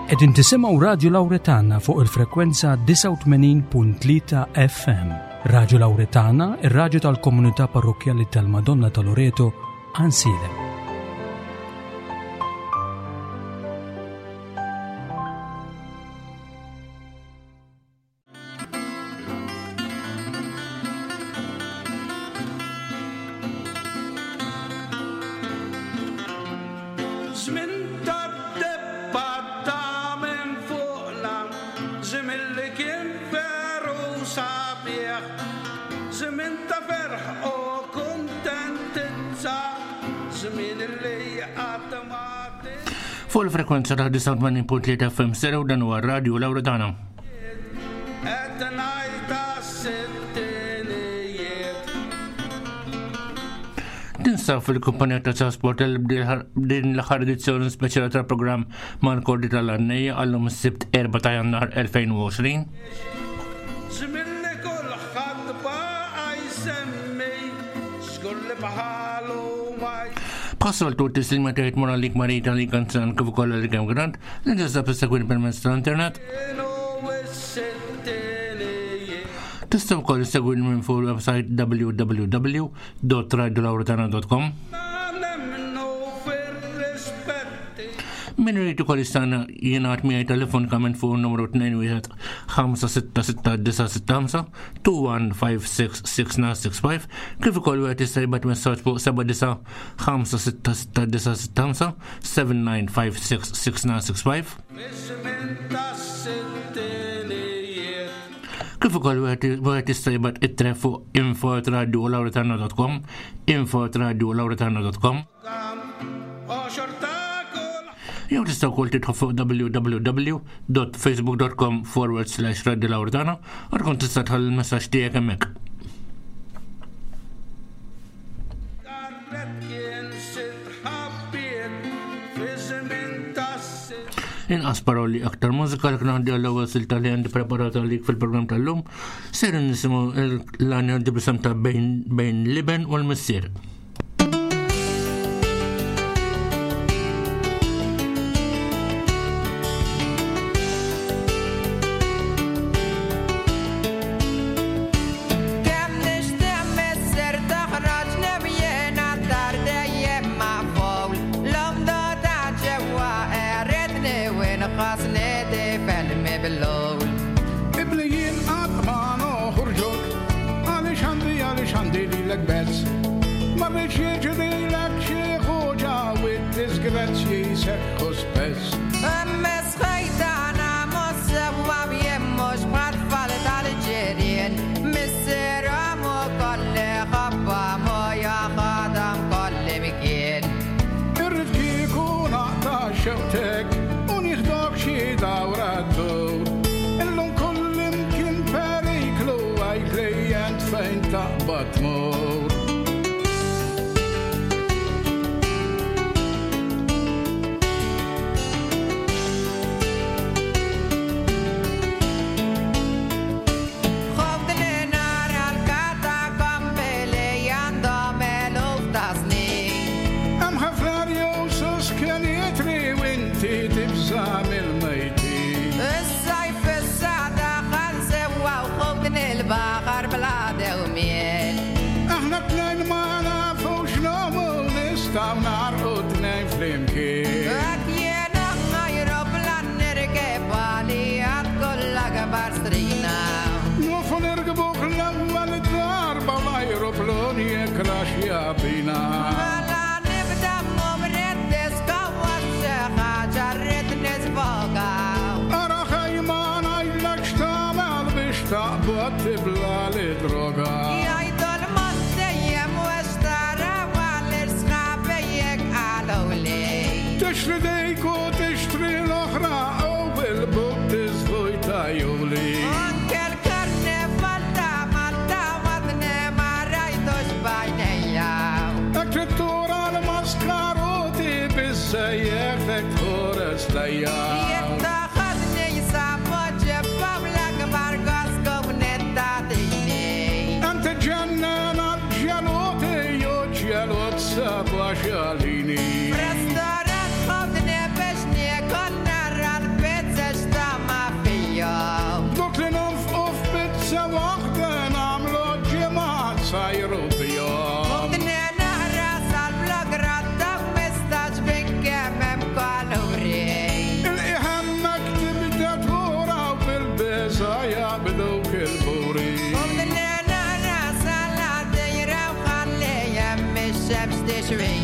Qegħdin tisimgħu Radju Lawretana fuq il-frekwenza 89.3 FM. Radju Lawretana, ir-radju tal-komunità parrokkjali tal-Madonna ta' Loreto, Ansiedem. Fuq il-frekwenza ta' 89.3 FM stereo dan huwa r-radju Laura Tana. Tinsab fil-kumpanija ta' Trasport din l-aħħar edizzjoni speċjali tal-programm mal-Kordi tal-Għannejja għallum is-Sibt 4 ta' Jannar 2020. Żmien li kulħadd baqa' jsemmi, żgur li bħalu ma. Bħas-soltu t-tislima tgħid mur għalik Marita li kanzan kif ukoll għalik hemm Grant li tista' tissegwini permezz tal-internet. Tista' wkoll issegwini minn fuq il-website www.radiolauretana.com. Min irid ukoll jistana jingħad miegħi telefonikament fuq in-numru 21 566 21566965 kif ukoll wieħed jista' jibgħat messaġġ fuq 79 566 79566965. Kif ukoll wieħed jista' jibgħat ittre fuq info@radiolauretana.com info@radiolauretana.com Jew tista' wkoll tidħol fuq www.facebook.com forward slash radiolauretana u tkun tista' tħalli l-messaġġ tiegħek hemmhekk. Inqas paroli aktar mużika li kien għandi għall-ewwel silta li għandi preparata għalik fil-programm tal-lum, ser nisimgħu l-għanja b'isem ta' bejn l-iben u l-missier.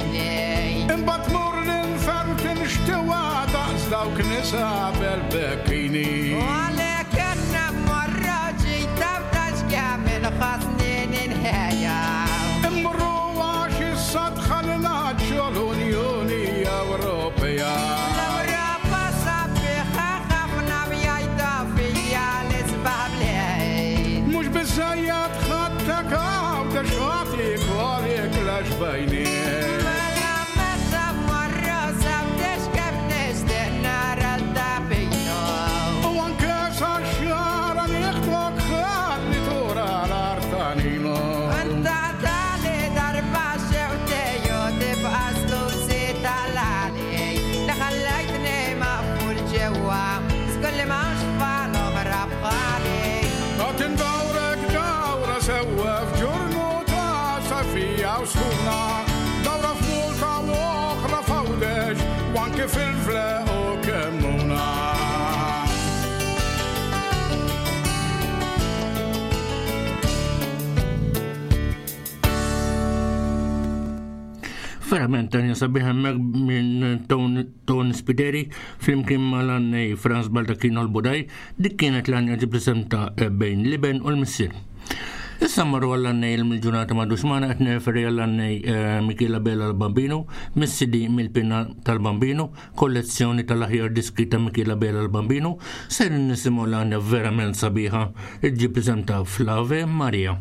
bejni. Imbagħad tmur l-infern tinxtewa daqs dawk nisa bel-bekkini. U għalhekk għandna mmorru ġita ftax kemm inħossni ninħeja. Immorru għax issa dħalna ġol-Unjoni Ewropea. L-Ewropa sabiħa ħafna mjajta fija l-isbaħ bliet. Mhux biżżejjed ħadtek Għawdex ħadd ikollek l-għaxbajni. Mela meta mmorru sabtex kemm nixtieq nara l-tapino. U anke sa xara nieħdok ħalli tura l-artanino. Anta tali darba xewtej u tibqa' slusi tal-għali. Li ħallejtni maqful ġewwa, żgur li m'hawnx tfal oħra bħali. Qed indawrek dawra sewwa f'ġurnu ta' safija u sħuna. Dawra f'Malta u oħra f'Għawdex u anke fil-Vleq u Kemmuna. Verament tanja sabiħ hemmhekk minn Tony Spiteri flimkien mal-għannej Franz Baldacchino l-Budaj, dik kienet l-għanja ġib l-isem ta' Bejn l-Iben u l-Missier. Issa marru għall-għannej il-ġurnata ma' Duxmana qed nirreferi għall-għannej Michela Bella l-Bambino, mis-CD mill-Pinna tal-Bambino, kollezzjoni tal-aħjar diski ta' Michela Bella l-Bambino, ser nisimgħu l-għanja verament sabiħa ġib l-isem ta' Flave Maria.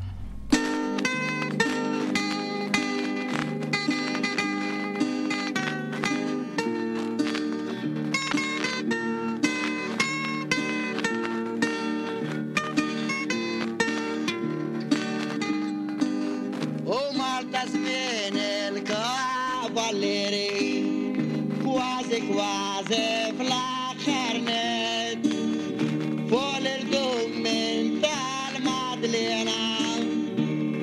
U Malta żmien il-kavallieri, kważi kważi fl-aħħar nett, fuq l-irdum minn tal-Madlena,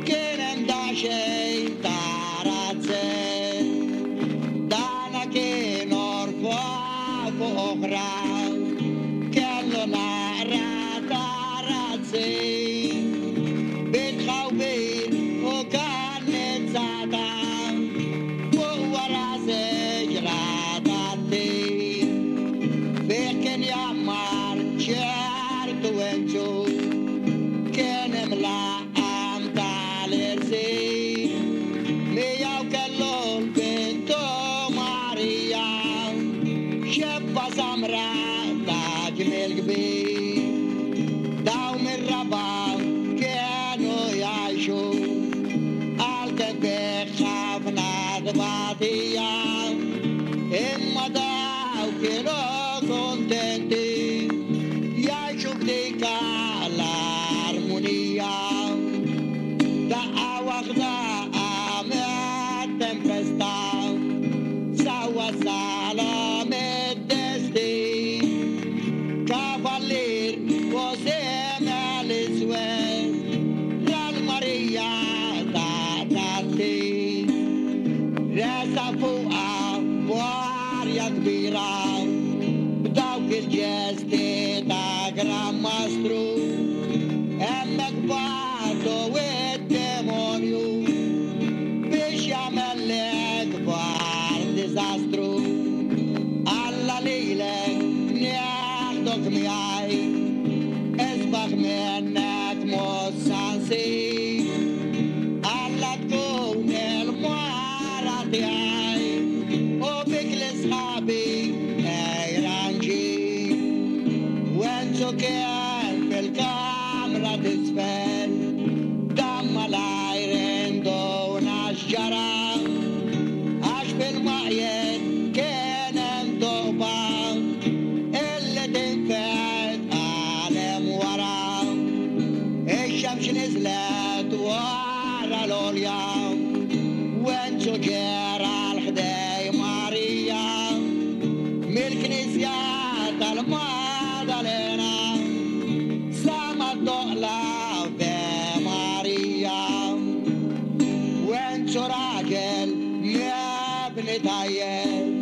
kien hemm daqsxejn ta' razzett. Dana kien orfa fuq oħra, kellu naqra ta' razzi. Bitħawbir u kannizzata, fuq wara siġra tat-tin. Fih kien jammar ċertu enċu, kien imlaqqam tal-irsin. Miegħu kellu l-bintu Marija, xebba samra ta' ġmiel kbir. Dawn mir-raba' kienu jgħixu, għalkemm bih ħafna tbatija. Imma daw kienu kontenti, jgħixu b'dik l-armonija. Daqqa waħda qamet tempesta, sawwa salom id-destin. Kavallier u semel iswed, ral Marija ta' tatti. Resa fuqha b'arja kbira, b'dawk il-ġesti ta' Gran Mastru. Hemmhekk bagħtu id-demonju biex jagħmel l-ikbar diżastru. Alla lilek nieħdok miegħi, isbaħ minnek mhux sa nsib. Alla tkun il-mara tiegħi u bik l-isħabi ejra nġib. Wenzu kien fil-kamra t'isfel, dan malajr induna x'ġara. Għax fil-maqjed kien hemm toqba illi tinfed għalem wara. Ix-xemx niżlet wara l-għolja, Wenzu ġera l-ħdej Marija. Mill-knisja tal-Madalena, sama d-doqla Ave Marija. Wenzu raġel mebni tajjeb,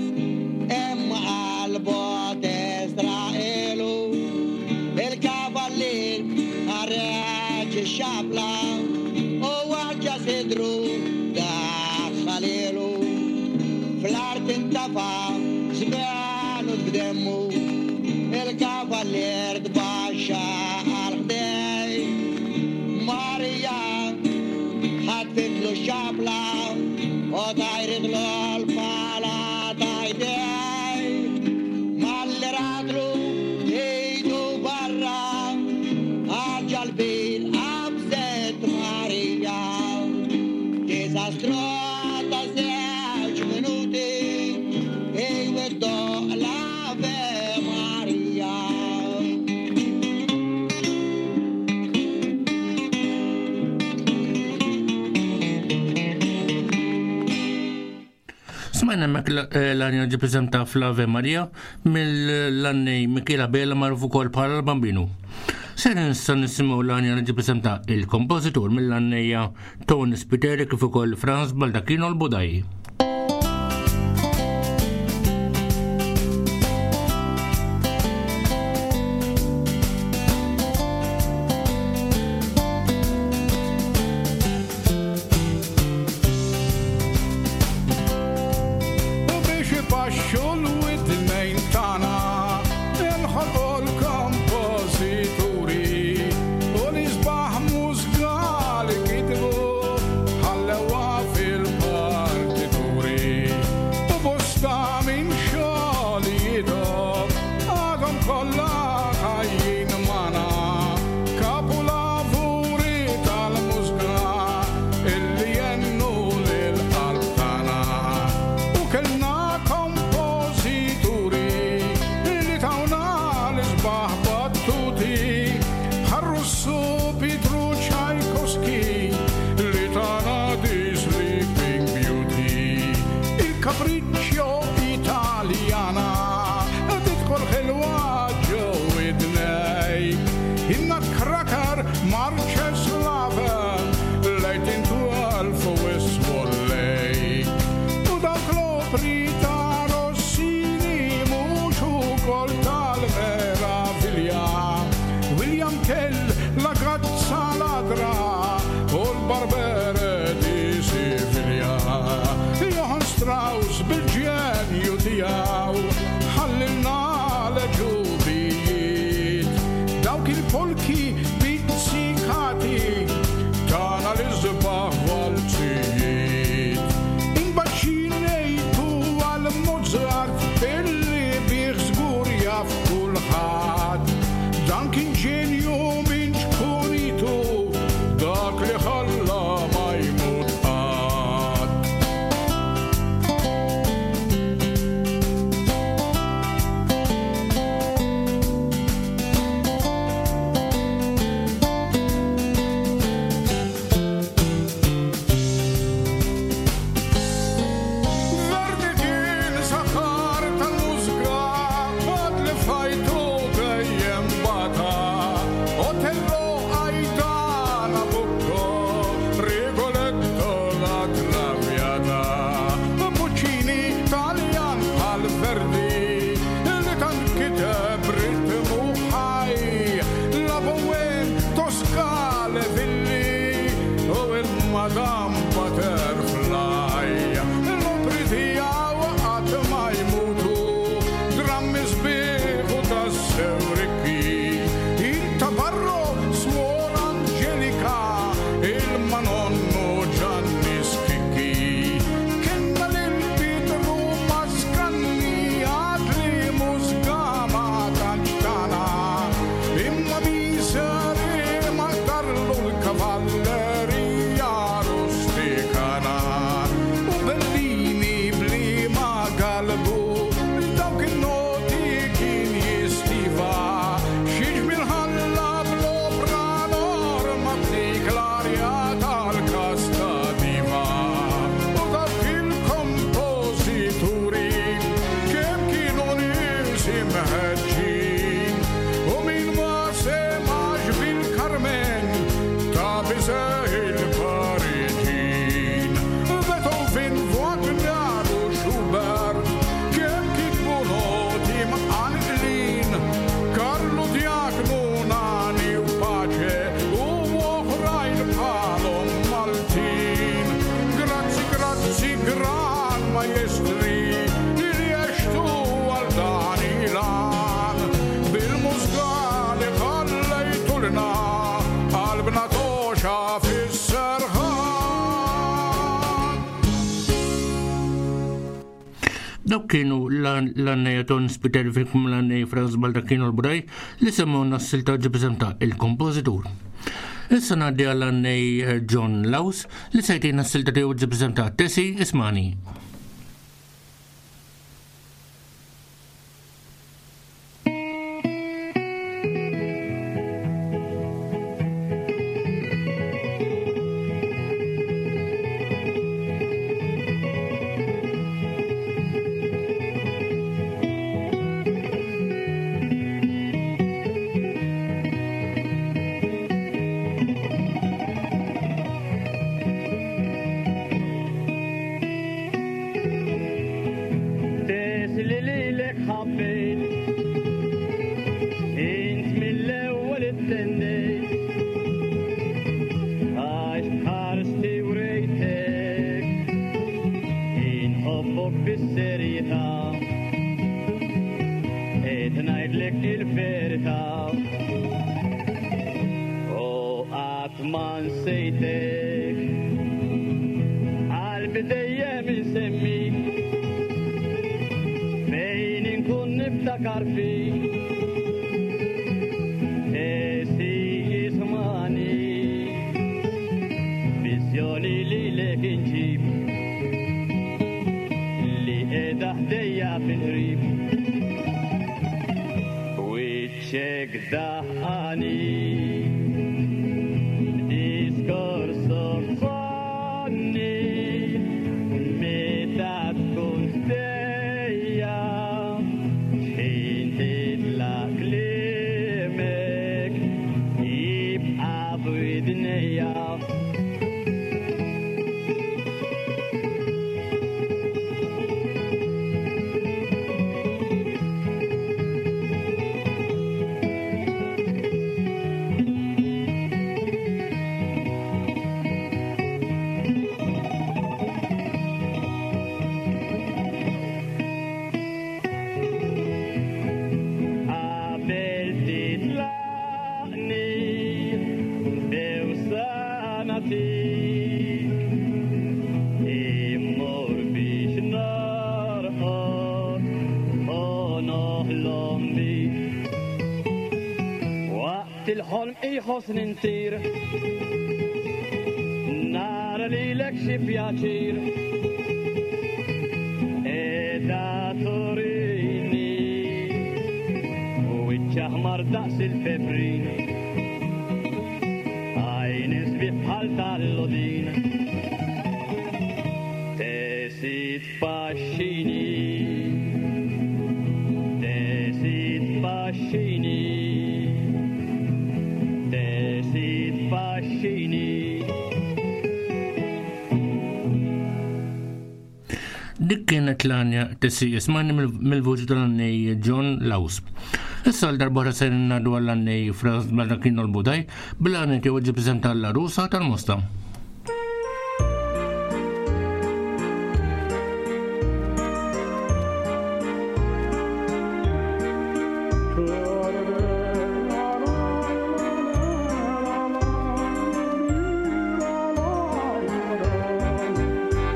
imma qalbu tistraqelu. Il-kavallier ħareġ ix-xabla u waġġa sidru daħħalilu. Tintafa żbenut b'demmu, il-kavallier tbaxxa għal ħdej. Marija ħatfitlu x-xabla u tajritlu l-pala ta' jdej. Malli ratlu idu barra, għal ġal-bir qabżet Marija. Diżastru ta' żewġ minuti, iwiddoq l-Ave Maria. Smajna hemmhekk l-għanja ġi preżenta fl-Ave Maria mill-għannej Michela Bella magħruf ukoll bħala l-Bambinu. Ser nista' nisimgħu l-għanja li ġi preżenta il-kompożitur mill-għannejja Tony Spiteri kif ukoll Franz Baldacchino l-Budaj. U biex ipaxxu l-widnejn tagħna inħolqu l-kompożituri u l-isbaħ mużikali kitbu ħallewha fil-partituri. U bosta minn xogħlijiethom għadhom kollha ħajjin magħna, kapulavuri tal-mużika illi jennu lil-qalb tagħna. U kellna kompożituri li tawna l-isbaħ battuti, bħal Russu Pietru Tchaikovsky li tana The Sleeping Beauty. Il-Capriccio Italiana tidħol ħelwa ġo widnejk, in-Nutcracker Marche Slave l-1812 u Swan Lake. U dawk l-opri ta' Rossini mhux ukoll tal-meravilja, William Tell, La Gazza Ladra u l-Barbere di Siviglia. Johann Strauss bil-ġenju tiegħu ħallilna l-ġubijiet, dawk il-polki pizzikati tana l-isbaħ walzijiet. Imbagħad xi ngħidu għal Mozart illi bih żgur jaf kulħadd, dan kien ġenju minn ċkunitu, dak li ħalla ma jmut qatt. Verdi kien saħħar tal-mużika, mod li fajtu dejjem bata. Otello, Aida, Nabucco, Rigoletto, la Traviata. Puccini, Taljan bħal Verdi, li tant kiteb ritmu ħaj. La Bohème, Tosca, Le Villi, u il-Madame Butterfly. L-opri tiegħu qatt ma jmutu, drammi sbieħ u tassew rikki. Il-Tabarro, Suor Angelica, il-Manonno Gianni Schicchi. Kenna lil Pietru Mascagni, għad li mużika ma tantx tana. Imma miser imaqdarlu l-kavallerija rustikana. U Bellini blima galbu, dawk in-noti kien jistiva. Xi ġmiel ħalla bl-opra norma b'dik l-arja tal-Casta Diva. U dawk il-kompożituri kemm kienu nies imħeġġin, u min ma semax bil-Carmen ta' Bizet il-Pariġin. Beethoven, Wagner u Schubert kemm kitbu noti mqanqlin, Carlo Diacno, Nani u Pace u oħrajn bħalhom Maltin. Grazzi, grazzi, gran maestri, Dawk kienu l-għannejja Ton Spiteri fil-kum l-għannej Franz Baldacchino l-Budaj li semmewna s-silta ġibżem ta' il-kompożitur. Issa ngħaddi għall-għannej eh, John Laus li sejtina s-silta tiegħu ġibżem ta' Tesi Ismani. Li lilek ħabbejt Int mill-ewwel ittendejt Għax bħarsti wrejtek Inħobbok bis-serjetà Qed ngħidlek il-verità U qatt ma nsejtek Qalbi dejjem insemmik Fejn inkun niftakar fik Esi jismani Viżjoni lilek inġib Li qiegħda ħdejja fil-qrib Wiċċek daħqani B'diskors sonni Meta tkun ħdejja X'ħin titlaq kliemek Jibqa' f'widnejja. Qabel titlaqni bewsa nagħtik Immur biex norqod u noħlom bik Waqt il-ħolm iħossni ntir Nara lilek xi pjaċir Qiegħda turini Wiċċ aħmar daqs il-peprin Għajn sbieħ bħal tal-lodin Tesi tpaxxini Tesi tpaxxini Tesi tpaxxini Dik kienet l-għanja Tessi Ismani mill-vuċi tal-għannej John Laus. Issa l-darbora se ngħaddu għall-għannej Franz Baldacchino l-Budaj bil-għannej tiegħu ġi preżenta l-Arusa tal-Mosta.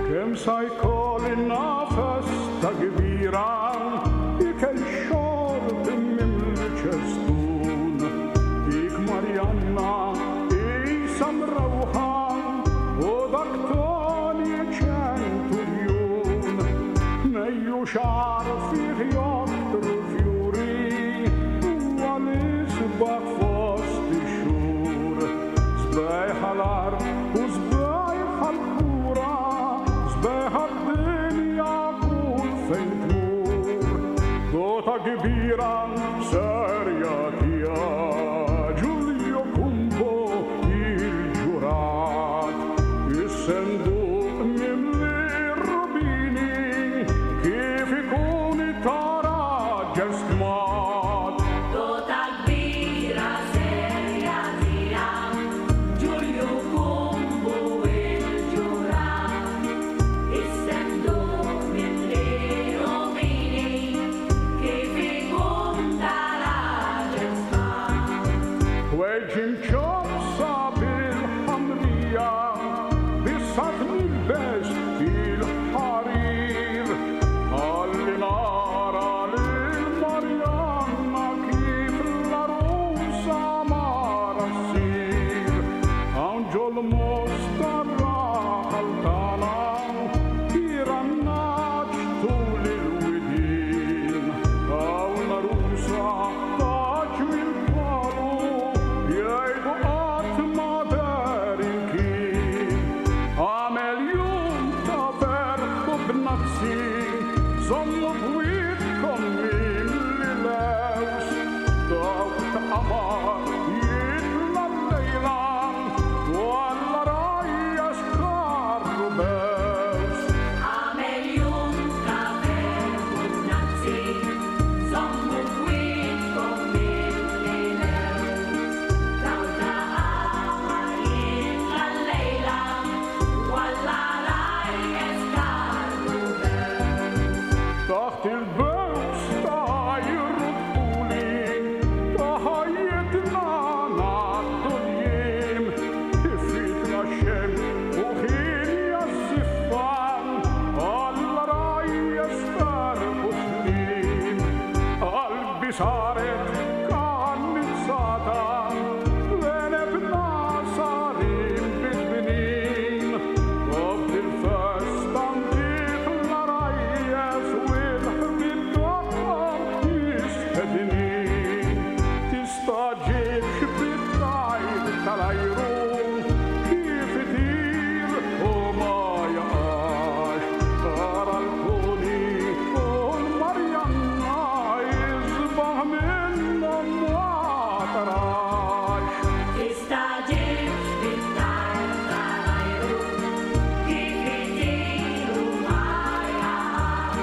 Kemm sa jkolli nafas ta' kbira ikel xorb mimli ċestun. Dik Marjanna isa mrewħa u dak Toni ċenturjun. Mejju xagħar fih joktru fjuri huwa l-isbaħ fost ix-xhur. Sbejħa l-art u sbejħa l-kura, sbejħa d-dinja kull fejn tmur. Dota kbira serja tija, Giulio Cumbo il-ġurat. Is-senduq mimli rubini, kif ikun ta' raġel stmat. Dota kbira serja tija, Giulio Cumbo il-ġurat. Is-senduq mimli rubini, kif ikun ta' raġel Żommu bwietkom mimli lews, dawk ta' qamar jitla' llejla u għall-għarajjes karru bews. Għamel jum ta' ferħ u bnazzi, żommu bwietkom mimli lews, dawk ta' qamar jitla' llejla u għall-għarajjes karru bews. Taħt il-bews tajru dħuli, ta' ħajjitna ngħaddu l-jiem, ifitna x-xemx u ħinja ż-żiffa, għall-għarajjes ferħ u sliem. Qalbi saret kannizzata, l-għeneb nasar bil-bnin, u f'dil-festa ntiq l-għarajjes u l-ħbieb tagħhom jistednin. Tistagħġibx bit-tajr tal-ajru, kif itir u ma jaqax. Tara l-Toni u l-Marjanna jisbaħ minnhom ma tarax. Tistagħġibx bit-tajr tal-ajru, kif itir u ma jaqax.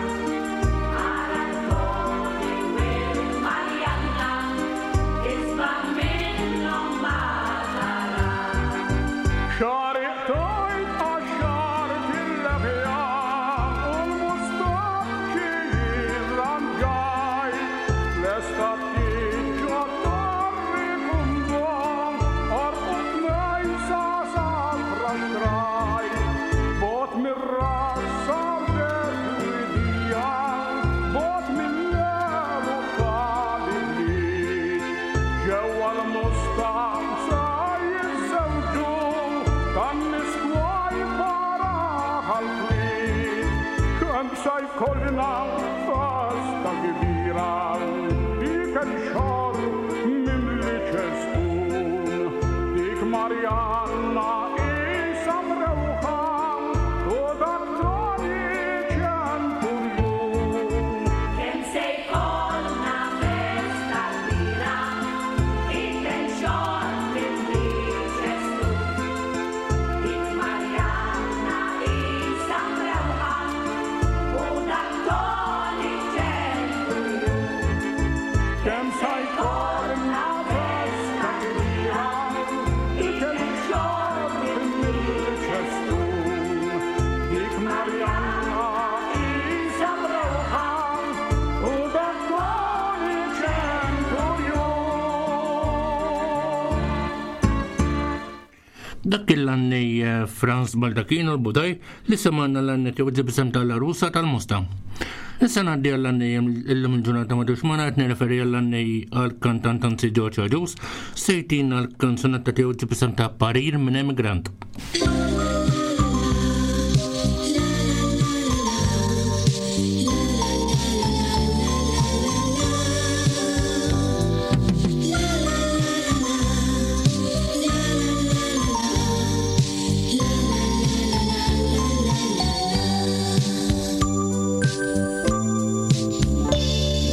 Ara l-Toni u l-Marjanna isbaħ minnhom ma tarax. Xagħri qtajt qaxxart il-leħja u l-mustaċċi rranġajt. Lesta ftit ġo torri kumdom, orqod mejsa safra xtrajt. Bogħod mir-ras saret widija, bogħod mill-għeruq tal-ibliet. Ġewwa l-musta sa jiżżewġu, tan-nies twajba raħal kwiet. Kemm sa jkollna festa kbira, ikel xorb mimli ċestun. Dik Marjanna isa mrewħa, u dak Toni ċenturjun. Kemm se jkollna festa kbira, ikel xorb mimli ċestun. Dik Marjanna isa mrewħa, u dak Toni ċenturjun. Kemm sa jkollna festa kbira, ikel xorb mimli ċestun. Dik Marjanna isa mrewħa, u dak Toni ċenturjun. Dak il-għannej Franz Baldacchino l-Budaj li semgħana l-għannej tiegħu ġib isem tal-Arusa tal-Mosta. Issa ngħaddi għall-għannej illum il-ġurnata ma dux magħna qed nirreferi għall-għannej għall-kantant anzi George Agius sejtin għall-kanzunetta tiegħu ġib isem ta' Parir minn Emigrant.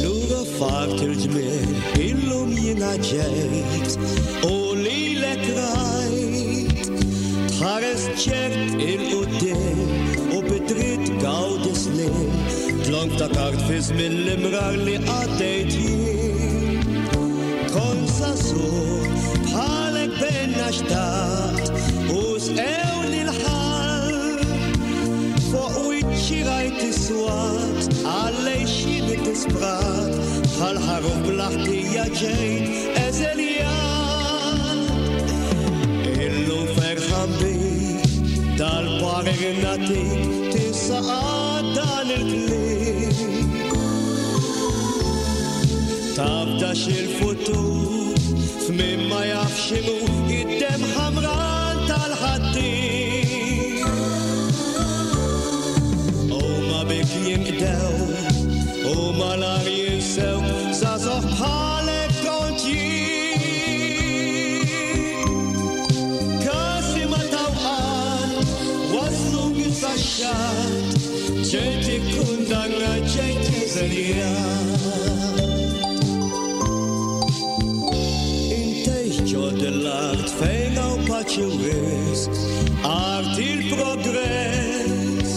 Lura fart il-ġmiel, illum jiena ġejt, u lilek rajt. Tħares ċert il-qudiem u bidrit gawdi snin, dlonk ta' kart fi żmien l-imrar li għaddejt jien. Kont żagħżugħ bħalek benna xtaqt, u sqewni l-ħall. Fuq wiċċi rajt iswat, għallej xini disprat, bħal ħaruf bl-ħtija ġejt eżeljat. Illum ferħan bik, dal-parir natik, tisa dan il-kliem. Tabdax il-futur, f'min ma jafx x'inhu id-dem ħamran tal-ħaddiem. Huma bik jinqdew, huma lar jinsew, żagħżugħ bħalek kont jien. Kasi ma tawqat, waslu kif saxxat, ġejt ikkundanna ġejt eżiljat. Intejx ġod l-art fejn hawn paċi u risq, art il-progress.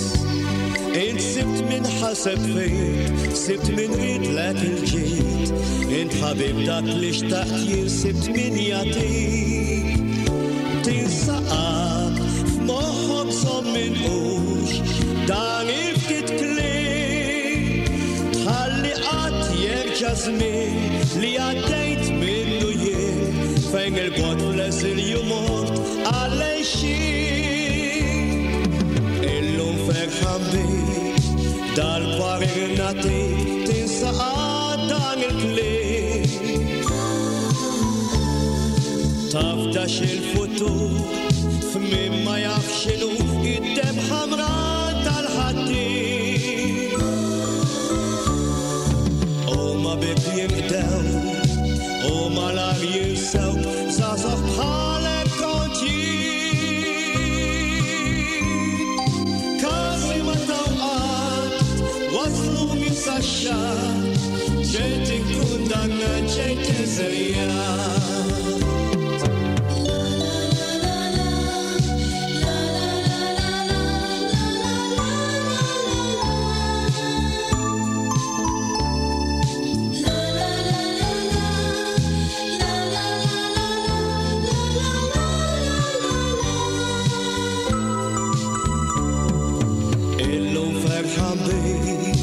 Int sibt min ħaseb fik, sibt min riedlek il-ġid, int ħabib dak li xtaqt jien sibt min jagħtik. Tinsa qatt f'moħħok żomm minqux dan il-ftit kliem, tħalli qatt jerġa' żmien li għaddejt minnu jien, fejn il-bogħod fl-eżilju mort għall-għejxien. Illum ferħan bik, dal-parir nagħtik, tinsa qatt dan il-kliem. Tafdax il-futur f'min ma jaf x'inhu id-demm ħamra tal-ħaddiem. Huma bik jinqdew, u malar jinsewk, żgħażagħ bħalek kont jien. Każi ma taw qatt, waslu minn sax-xatt, ġejt ikkundannat, ġejt eżiljat. Illum ferħan bik,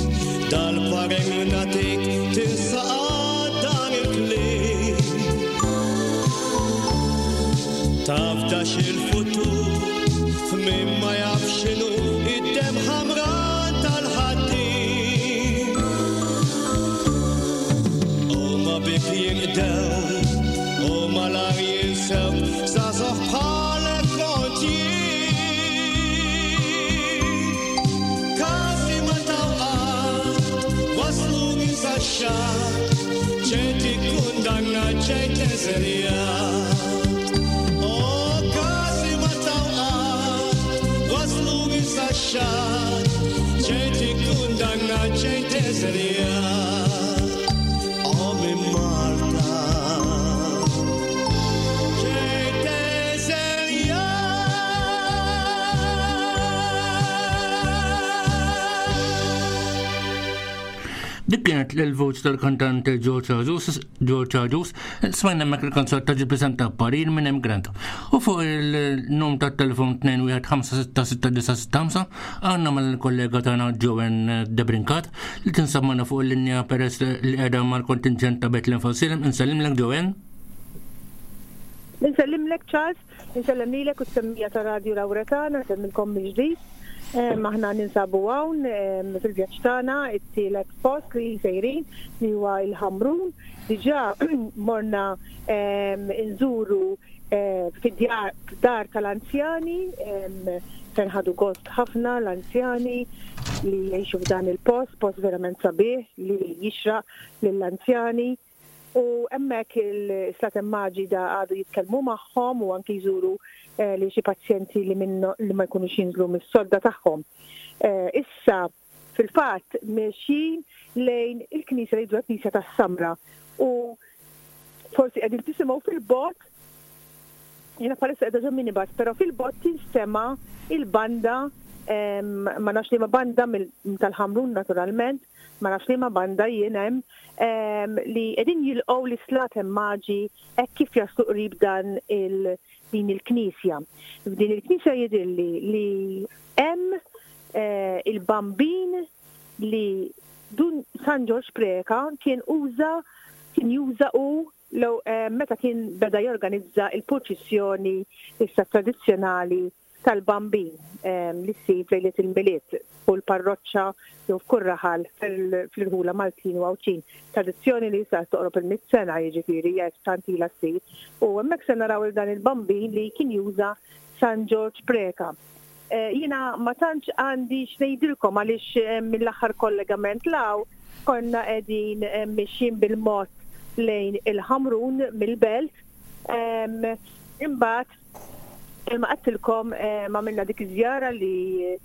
dal-parir nagħtik, tinsa qatt dan il-kliem. Tafdax il-futur f'min ma jaf x'inhu id-demm ħamra tal-ħaddiem. Huma bik jinqdew, u malar jinsewk, żgħażagħ bħalek kont jien. Każi ma taw qatt, waslu minn sax-xatt, ġejt ikkundannat, ġejt eżiljat. O każi ma taw qatt, waslu minn sax-xatt, ġejt ikkundannat, ġejt eżiljat. O minn Malta, ġejt eżiljat. Dik kienet l-voċ tal-kantante George Agius, George Agius, smajna hemmhekk il-kanzunetta ġi preżenta parir minn hemm Grant. U fuq il-num tat-telefon 2156665 għandna mal-kollega tagħna Joanne Debrincat li tinsab magħna fuq il-linja peress li qiegħda mal-kontingent ta' Bethlehem Fawsilem. Insellimlek Joanne. Insellimlek Charles, insellem lilek u s-semmija ta' Radio Lauretana, nsemmilkom mill-ġdid. Aħna ninsabu hawn fil-vjaġġ tagħna, it-tielet post li sejrin li huwa il-Ħamrun. Diġà morna nżuru fid-djar dar tal-anzjani, fejn ħadu gost ħafna l-anzjani li jgħixu f'dan il-post, post verament sabiħ li jixraq lill-anzjani. U hemmhekk il-Slaten Maġi da għadu jitkellmu magħhom u anki jżuru li xi pazjenti li minnu li ma jkunux jinżlu mis-sodda tagħhom. Issa fil-fatt mexjin lejn il-knisja li jgħidu knisja tas-Samra u forsi qegħdin tisimgħu fil-bogħod, jiena bħalissa qiegħda ġo minibus, però fil-bogħod tinstema' il-banda, ma nafx liema banda tal-Ħamrun naturalment, ma nafx liema banda jien hemm, li qegħdin jilqgħu l-Slaten Maġi hekk kif jaslu qrib dan din il-knisja. F'din il-knisja jidhirli li hemm il-bambin li dun San Ġorġ Preca kien uża, kien juża u law meta kien beda jorganizza il-purċissjoni issa tradizzjonali tal-bambin li ssir f'lejliet il-Milied u l-parroċċa jew f'kull raħal fl-irħula Maltin u Għawdxin. Tradizzjoni li issa toqrob il-mitt sena, jiġifieri hekk tant ilha ssir. U hemmhekk se naraw il dan il-bambin li kien juża San Ġorġ Preca. Jiena ma tantx għandi x'ngħidilkom għaliex mill-aħħar kollegament law konna qegħdin mixjin bil-mod lejn il-Ħamrun mill-Belt. Imbagħad imma għedtilkom għamilna dik iż-żjara li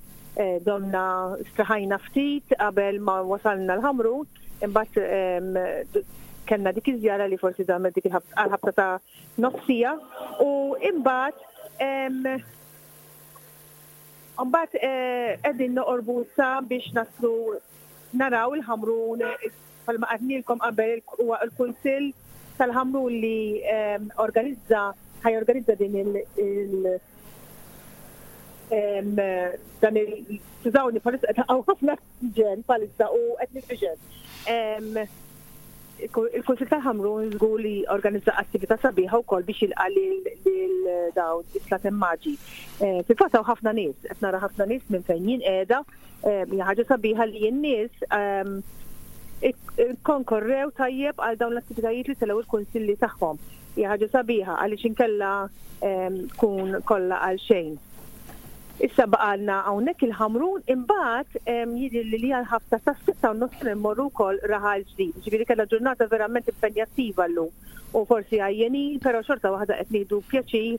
Domna straħajna ftit qabel ma wasalna l-Ħamrun, imbagħad kellna dik iż-żjara li forsi damet dik il-ħabta ta' nofsija u imbagħad imbagħad qegħdin noqorbu issa biex naslu naraw il-Ħamrun bħalma għadnilkom qabel huwa l-Kunsill tal-Ħamrun li organizza ħajorganizza din il dan il skużawni bħalissa qed hawn ħafna ġen bħalissa u qed nitfiġen. Il-Kunsill tal-Ħamrun żgur li organizza attività sabiħa wkoll biex jilqa' lil dawn is-Slaten Maġi. Fil-fatt hawn ħafna nies, qed nara ħafna nies minn fejn jien qiegħda, hija ħaġa sabiħa li n-nies konkorrew tajjeb għal dawn l-attivitajiet li telgħu il-kunsilli tagħhom. Hija ħaġa sabiħa għaliex inkella tkun kollha għal xejn. Issa baqalna hawnhekk il-Ħamrun imbagħad jidhirli li għal ħabta tas-sitta u nofs immorru wkoll Raħal Ġdid. Ġifieri kellna ġurnata verament impenjattiva llum u forsi għajjenin, però xorta waħda qed nieħdu pjaċir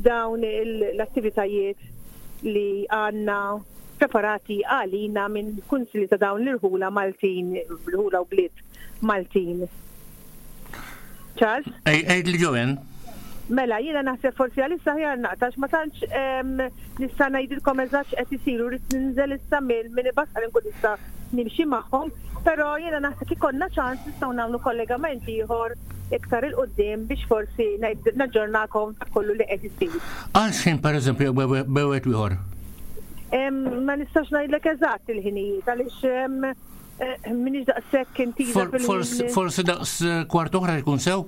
dawn l-attivitajiet li għandna preparati għalina minn kunsilli ta' dawn l-irħula Maltin, irħula u bliet Maltin. Charles? Ej, ej, li Joanne. Mela, jiena naħseb forsi għalissa ħjar naqtax, ma tantx nista' ngħidilkom eżatt x'qed isir u rrid ninżel issa mill-minibus ħalli nkun nista' nimxi magħhom, però jiena naħseb ikollna ċans nistgħu nagħmlu kollegament ieħor iktar 'il quddiem biex forsi naġġornakom ta' kollu li qed isir. Għal x'ħin pereżempju bewet ieħor? Ma nistax ngħidlek eżatt il-ħinijiet għaliex minix daqshekk intiża fil Forsi daqs kwart oħra jkun sew?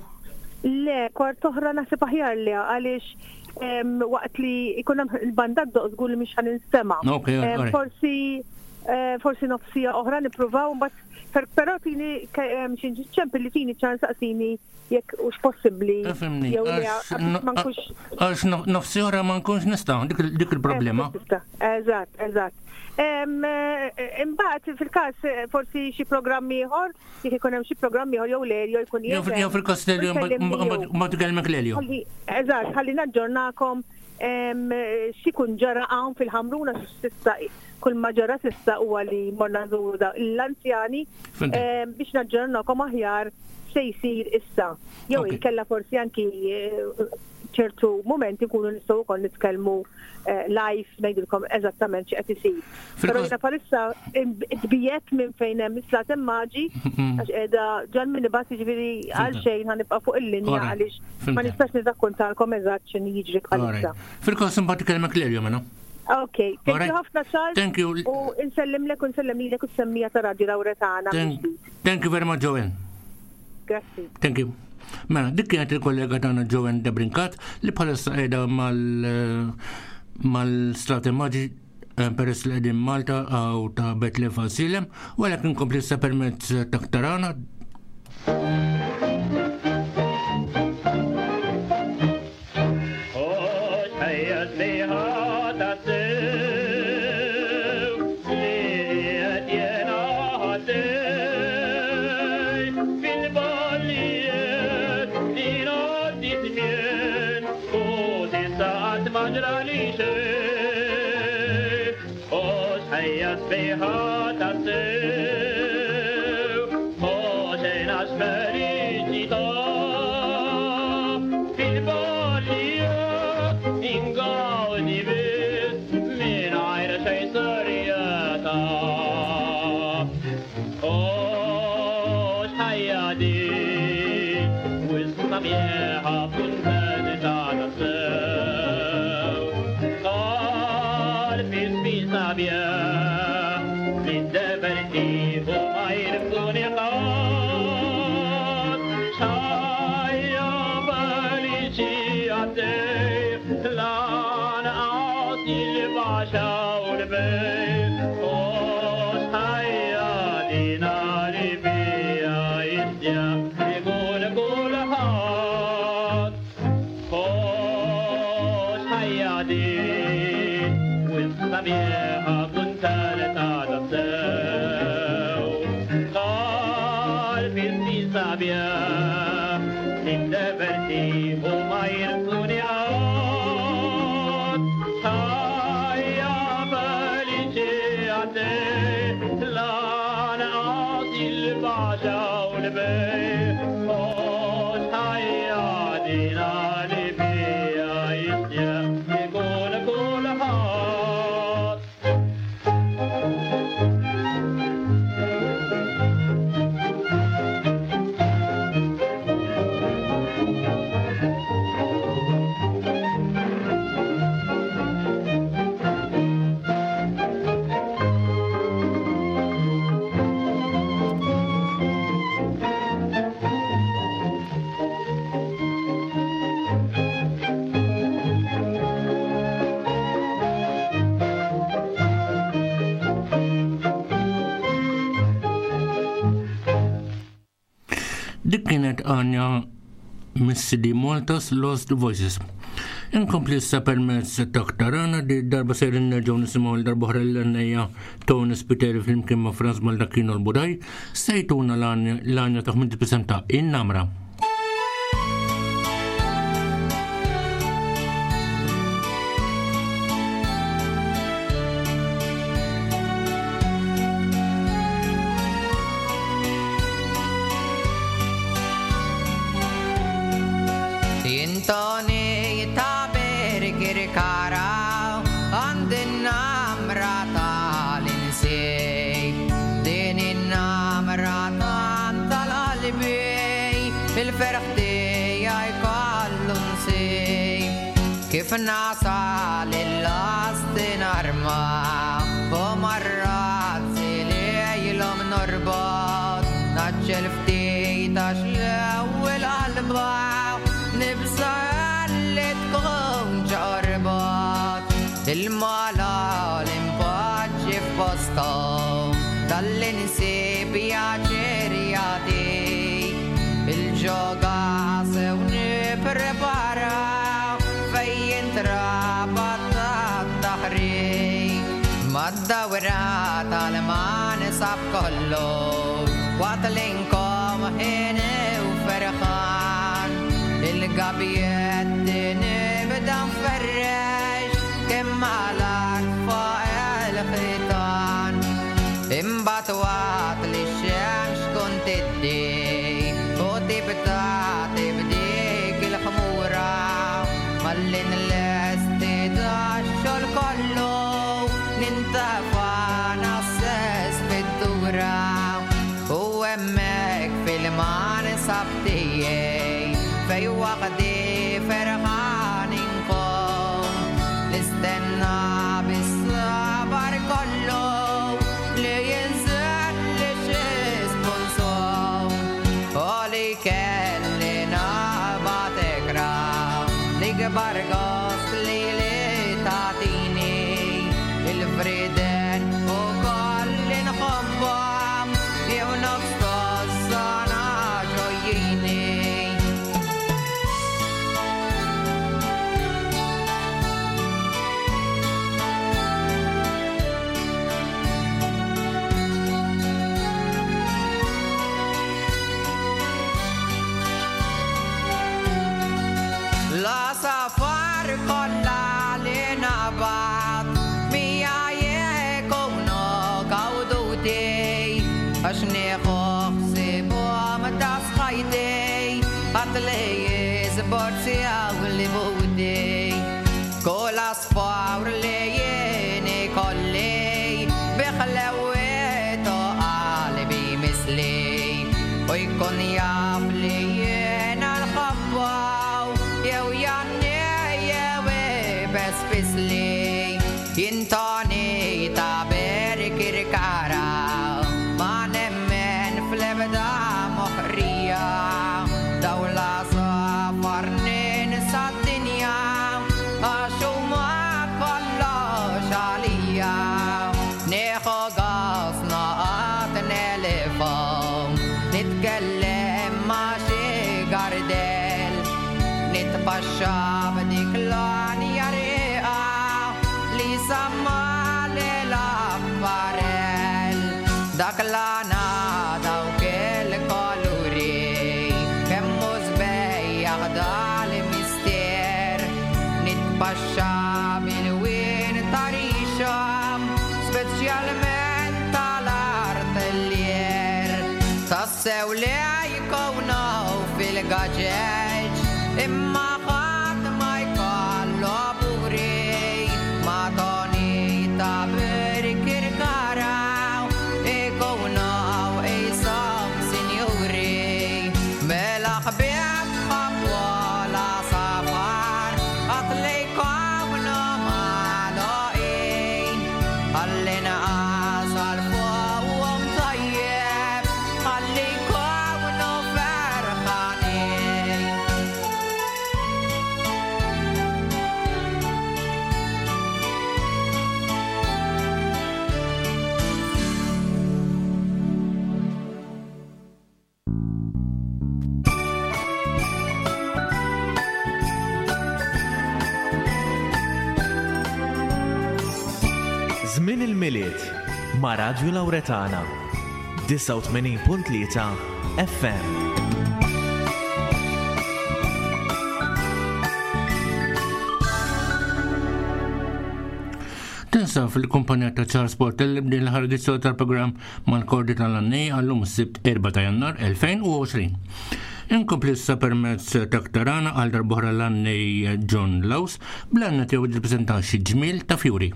Le, kwart oħra naħseb aħjar li għaliex waqt li jkun hemm il-banda ddoq żgur li mhix ħa ninstema'. Forsi forsi nofsija oħra nippruvaw mbagħad però tini xi ċempil li tini ċans saqsini jekk hux possibbli. Fimni. Għax nofsi oħra ma nkunx nista' dik il-problema. Eżatt, eżatt. Imbagħad fil-każ forsi xi programm ieħor, jekk ikun hemm xi programm ieħor jew Lelio jkun Jew fil-każ Lelio mbagħad ikellmek Lelio. Eżatt, ħalli naġġornakom x'ikun ġara hawn fil-Ħamruna s'issa kull ma ġara s'issa huwa li morna nżuru l-anzjani biex naġġornakom aħjar se jsir issa. Jew inkella forsi anki ċertu mumenti nkunu nistgħu wkoll nitkellmu live ngħidilkom eżattament x'qed isir. Però jiena bħalissa tbiegħedt minn fejn hemm is-Slaten Maġi għax qiegħda ġal minibus jiġifieri għal xejn ħanibqa' fuq il-linja għaliex ma nistax nirrakkontalkom eżatt x'inhi jiġri bħalissa. Fil-każ imbagħad ikellmek Lelio mela. Ok, thank you ħafna Charles. Thank you. U nsellimlek u nsellem lilek u s-semmija ta' Radio Lauretana. Thank you very much Joanne. Grazzi. Thank you. Mela, dik kienet il-kollega tagħna Joanne Debrincat li bħalissa qiegħda mal mal-Strati Maġi peress li qegħdin Malta għaw ta' Bethlehem Fasilem, u għalhekk inkompli issa permezz ta' Ktarana. Dik kienet għanja mis-CD Malta's Lost Voices. Inkompli issa permezz ta' aktar di darba sejrin nerġgħu nisimgħu l darba oħra l-għannejja Tony Spiteri flimkien ma' Franz Baldacchino l-Budaj sejtuna l-għanja ta' 50 ta' In-Namra. Intoni ta' Birkirkara għand in-namra tal-insib. Din in-namra tant tal-qalbi il-ferħ tiegħi kollu nsib. Kif nasal il-last narma u marrat lejlhom norbot naġġel ftit għax l-ewwel qalba nibża' li tkun ġorbot. Il-mala l-impoġġi f'postom tal-insib pjaċir jagħti. Il-ġoga sew nipprepara fejn jintrabat tat-taħrik. Mad-dawra tal-mansab kollu waqt li nkom ħin u ferħan. Il-gabjetti nibda nferrex kemm mal-art fuq il-ħitan. Imbagħad waqt li x-xemx tkun tiddi u tibda tibdik il-ħmura malli nlesti dax-xogħol kollu nintafa' nassess fid-dura. U hemmhekk fil-mansab tiegħi fej waħdi ferħan inkun. Nistenna bis-sabar kollu li jinżel li xi sponsor u li kelli naqbad ikra l-ikbar gost li li tagħtini il-friden u kolli nħobbhom jew nofs tossana ġojjini. La safar kollha li naqbad mija jekunu gawduti għax nieħu ħsiebhom ta' sħajti għad li jiżborzi għaw li buti. Kull asfar li jien ikolli biħlewietu qalbi misli u jkun jaf li jiena nħobbaw jew janni jew ibes fisli. Jintoni ta' Birkirkara ma nemmen fl-ebda moħrija dawla safar ninsa d-dinja għax huma kollox għalija. Nieħu gost noqgħod nelifhom nitkellem ma' xi gardel nitpaxxa b'dik l-għanja rieqa li samma l-apparell. Dak l-għana dawk il-koluri kemm hu sbejjaħ dal-mister. Nitpaxxa bil-wien ta' rixhom speċjalment tal-artillier. Tassew li jkunu fil-gaġeġ, imma ħadd ma jkollu buri. Madoni ta' Birkirkara ikunu qishom sinjuri. Mela ħbieb ħabbola safar, qatt li jkunu magħluqin. Ħalli naqas għal fuqhom tajjeb, ħalli jkunu ferħanin. Żmien il-Milied ma' Radju Lawretana 89.3 FM. Tinsab fil-kumpanija ta' Charles Portelli b'din l-aħħar edizzjoni tal-programm mal-Kordi tal-Għannej għallum is-Sibt 4 ta' Jannar 2020. Inkompli issa permezz ta' Ktarana għal darb'oħra l-għannej John Laws bl-għanna tiegħu jippreżenta xi ġmiel ta' fjuri.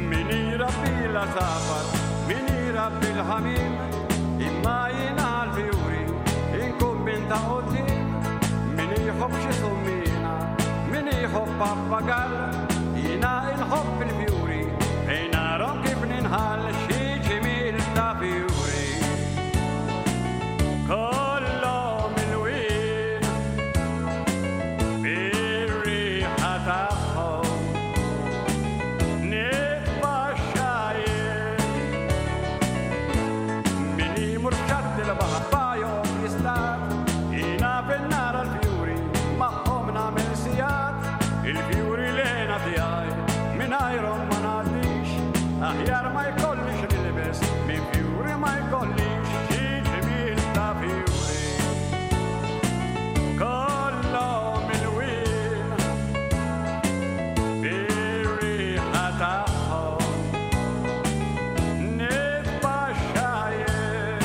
Min irabbi l-għasafar, min irabbi l-ħamiem, imma jiena għall-fjuri inkun minn ta' quddiem. Min iħobb xi summina, min iħobb pappagall, jiena inħobb il-fjuri, fejn narahom kif ninħall xi ġmiel ta' fjuri. Kollhom il-wien bir-riħa tagħhom. Nitpaxxa jien. Min imur f'xatt il-baħar bajhom jistat, jiena fin-nara l-fjuri magħhom nagħmel sigħat. Il-fjuri l-hena tiegħi mingħajrhom ma ngħaddix, aħjar ma jkollix nilbes minn fjuri ma jkollix xi ġmiel ta' fjuri. Kollhom il-wien bir-riħa tagħhom nitpaxxa jien.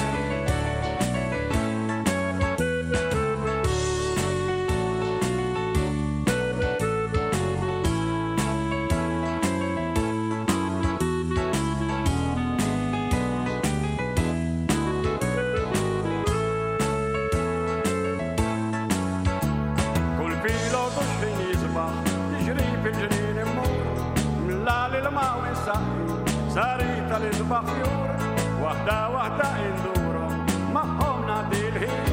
Kull filgħodu x'ħin jisbaħ, niġri fil-ġnien immur, mlali l-maw insaqqi, sarita li sbaħ fjur, waħda waħda indurhom, magħhom ngħaddi l-ħin.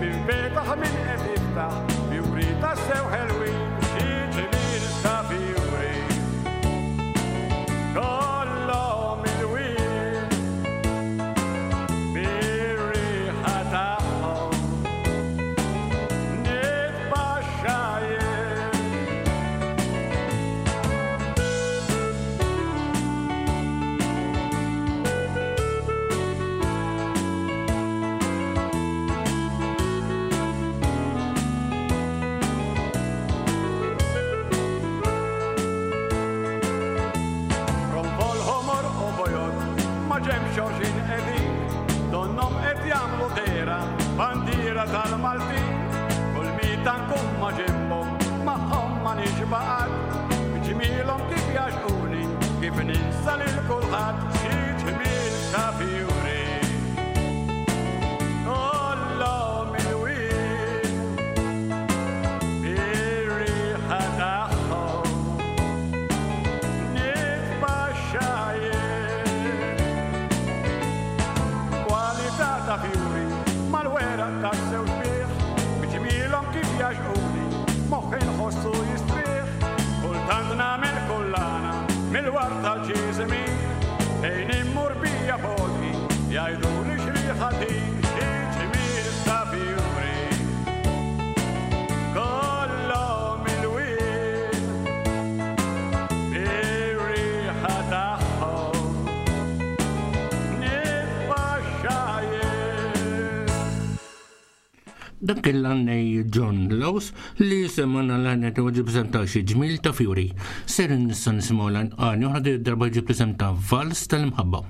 Min fetaħ min qed jiftaħ, fjuri tassew ħelwin, xi ġmiel ta' fjuri. Kollhom il-wien bir-riħa tagħhom nitpaxxa jien. Ronfol ħomor u bojod, ma ġemx xoxin qegħdin, donnom qed jagħmlu dehra, bandiera tal-Maltin. Kull mita nkun ma ġembhom, magħhom ma nixba' qatt, b'ġmielhom kif jgħaxquni, kif ninsa lil kulħadd xi ġmiel ta' fjuri. Kollhom il-wien bir-riħa tagħhom nitpaxxa jien. Kwalità ta' fjuri mal-weraq tassew sbieħ, b'ġmielhom kif jgħaxquni, moħħi nħossu jistrieħ. Kultant nagħmel kullana mill-wart tal-ġiżimin, fejn immur bija fodi, jgħiduli x'riħa din, xi ġmiel ta' fjuri. Kollhom il-wien bir-riħa tagħhom nitpaxxa jien. Dak kien l-għannej John Laws li semana l-għanja ta' ġib ta' xi ġmil ta' fjuri. Ser nista' nisimgħu l-għanja oħra din id-darba ġib isem ta' Vals tal-Imħabba.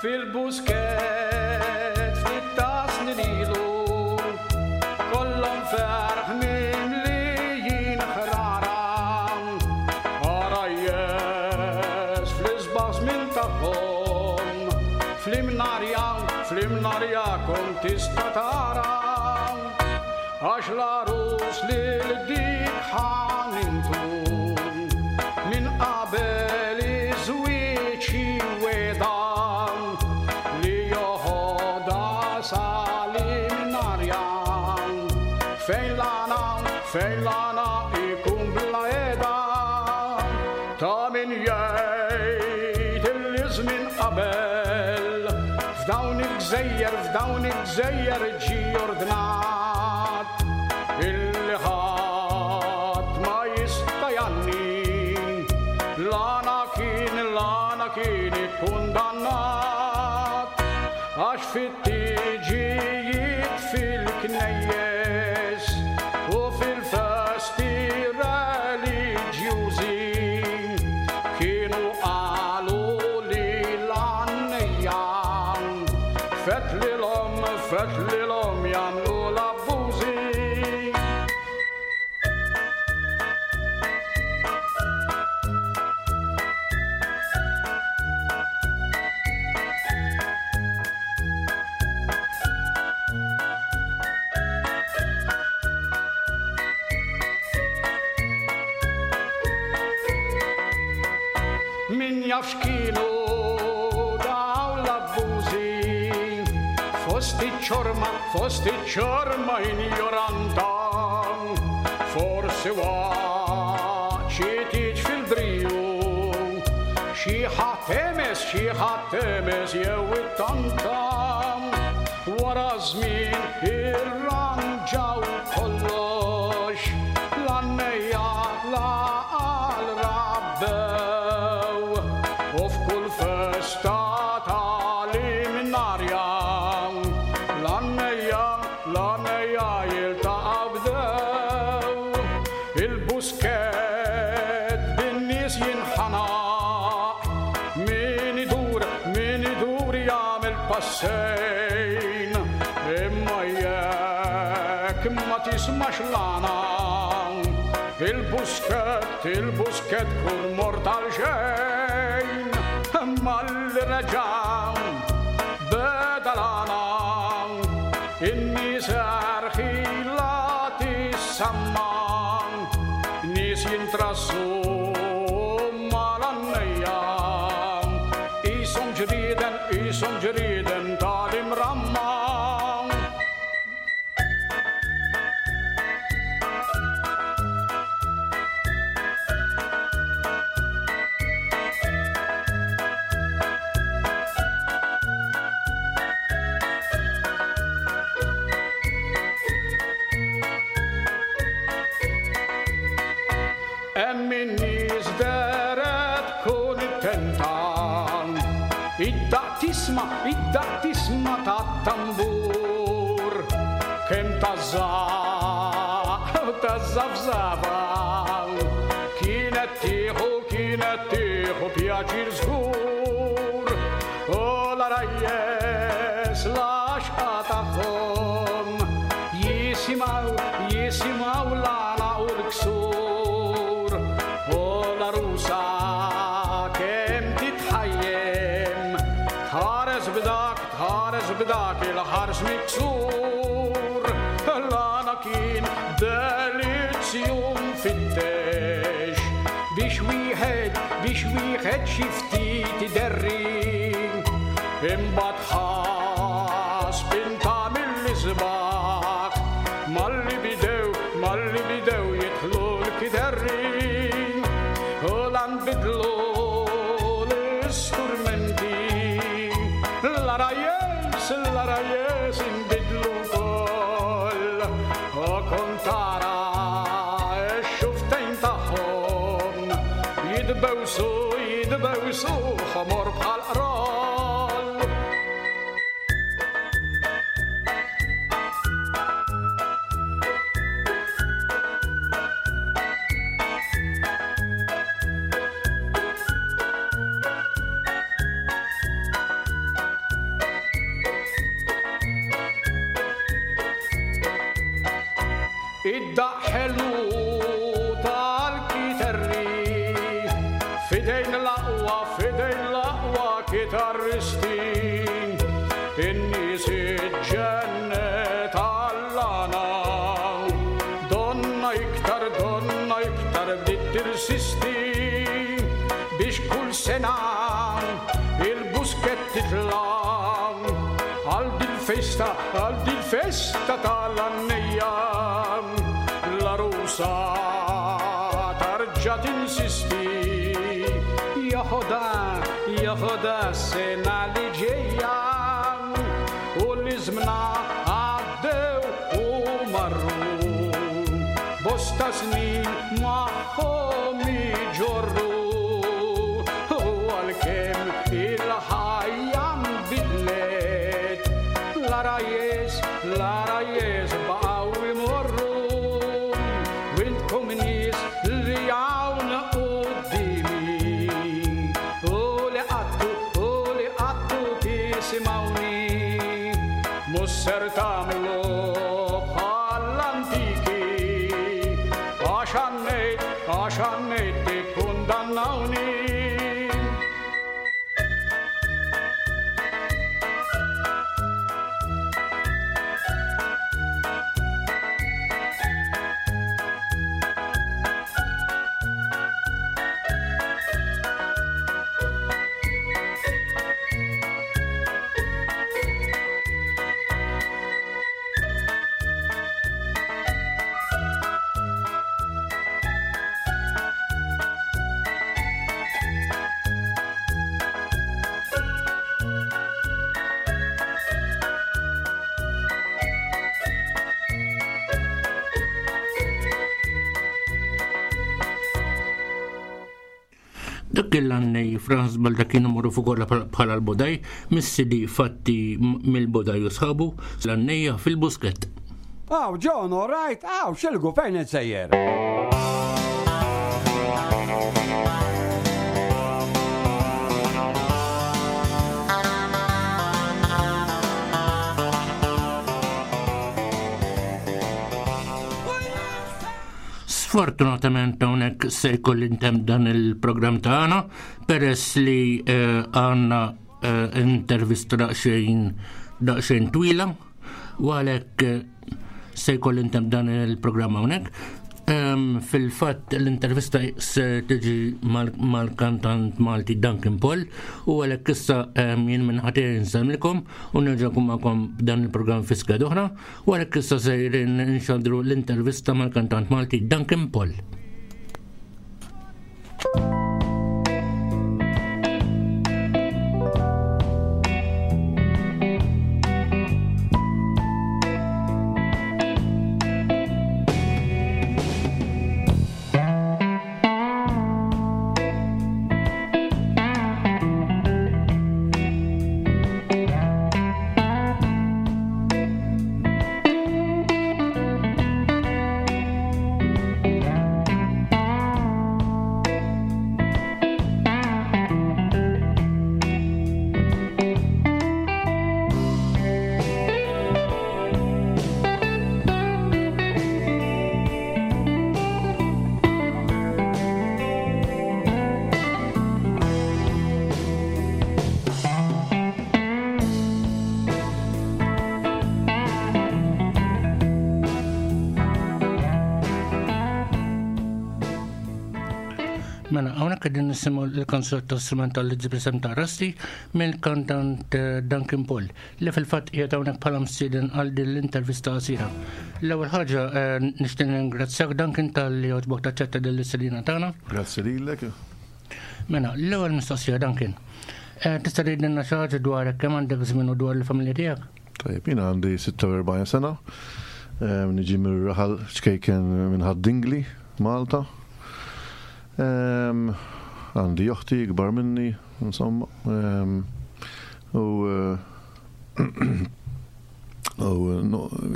Fil-busket ftit ta' snin ilu kollhom ferħ mimlijin ħrara. Għarajjes fl-isbaħ żmien tagħhom fl-imnarja, fl-imnarja kont tista' tara għax l-għarus lil dik ħanintu minn qabel iż-żwieġ weda li joħodha sal-imnarja fejn l-għana, fejn l-għana ikun bla qiegħda ta' min jgħid illi żmien qabel f'dawn il-gżejjer, f'dawn il-gżejjer ġie ordnat illi ħadd ma jista' jgħanni l-għana kien, l-għana kien ikkundannat għax fit-tiġijiet fil-knejjes u fil-festi reliġjużi kienu qalu li l-għannejja fetlilhom, fetlilhom jagħmlu l jaf x'kienu dawn l-abbużi. Fost iċ-ċorma, fost iċ-ċorma injoranta, forsi waqt xi tieġ fil-briju, xi ħadd hemes, xi ħadd hemes jew ittanta. Wara żmien irranġaw kollox, l-għannejja l-għaqal rabbew, u f'kull festa tal-imnarja, l-għannejja, l-għannejja jiltaqgħu bdew. Il-buskett bin-nies jinħanaq, min idur, min idur jagħmel passejn, imma jekk ma tismax l-għana, il-buskett, il-buskett kun mort għal xejn. Malli reġa' beda l-għana, in-nies erħilha tissamma, nies jintrassu mal-għannejja, qishom ġrieden, qishom ġrieden tal-imramma. Hemm in-nies dehret kuntenta, id-daqq tisma', id-daqq tisma' tat-tambur, kemm tażżaq u tażżafżafa, kienet tieħu, kienet tieħu pjaċir żgur. U l-għarajjes l-għaxqa tagħhom jisimgħu, jisimgħu l-għana u l-ksur. U l-għarusa kemm titħajjem, tħares b'dak, tħares b'dak il-ħars miksur. L-għana kien delizzju mfittex, biex wieħed, biex wieħed xi ftit iderri. Imbagħad ħa spinta mill-isbaħ, malli bidew, malli bidew jidħlu l-kiderri. U la nbidlu l-isturmenti, l-għarajjes, l-għarajjes inbidlu wkoll. U kont tara x-xuftejn tagħhom jitbewsu, jitbewsu ħomor bħal qroll. Id-daqq ħelu tal-kiterri, fidejn l-aqwa, fidejn l-aqwa kitarristi. In-nies iġġennet għall-għana, donna iktar, donna iktar bdiet tirsisti, biex kull sena il-buskett titla' għal dil-festa, għal dil-festa tal-għannejja. L-għarusa tarġa' tinsisti, jaħodha, jaħodha s-sena li ġejja. U l-iżmna għaddew u marru, bosta snin magħhom iġorru. U għalkemm il-ħajja nbidlet, l-għarajjes, l-għarajjes baqgħu imorru. Wintkom nies li hawn quddiemi, u li qattu, u li qattu tisimgħuni, mhux ser tagħmlu bħall-antiki, għax għannejt, għax għannejt tikkundannawni. Dak kien l-għannej Franz Baldacchino magħruf ukoll bħala l-Bodaj, mis-CD Fatti mill-Bodaj u sħabu, l-għannejja fil-Buskett. Aw, John, all right, aw, xilgu fejn qed sejjer? Sfortunatament hawnhekk se jkolli ntemm dan il-programm tagħna peress li eh, għandna eh, intervista daqsxejn daqsxejn twila u għalhekk eh, se jkolli ntemm dan il-programm hawnhekk. Ehm, fil-fatt l-intervista se tiġi mal-kantant Malti Duncan Paul u għalhekk issa ehm, jien minn ħatej nsemlikom u nerġa' nkun magħkom dan il-programm fi skeda oħra. U għalhekk issa sejrin nxandru l-intervista mal-kantant Malti Duncan Paul. Mela, hawnhekk qegħdin nisimgħu l-kanzunetta strumentali li ġib isem ta' Rasti mill-kantant eh, Duncan Paul li fil-fatt qiegħed hawnhekk bħala msieden għal din l-intervista qasira. L-ewwel ħaġa eh, nixtieq ningrazzjak Duncan talli għoġbok taċċetta din l-istedina tagħna. Grazzi lilek. Mela, l-ewwel mistoqsija Duncan. Eh, tista' tgħidilna xi ħaġa dwarek kemm għandek żmien u dwar il-familja tiegħek? Tajjeb, jiena għandi 46 sena, eh, niġi mir-raħal ċkejken minn Ħad-Dingli, Malta. Għandi oħti ikbar minni, insomma. U eh, u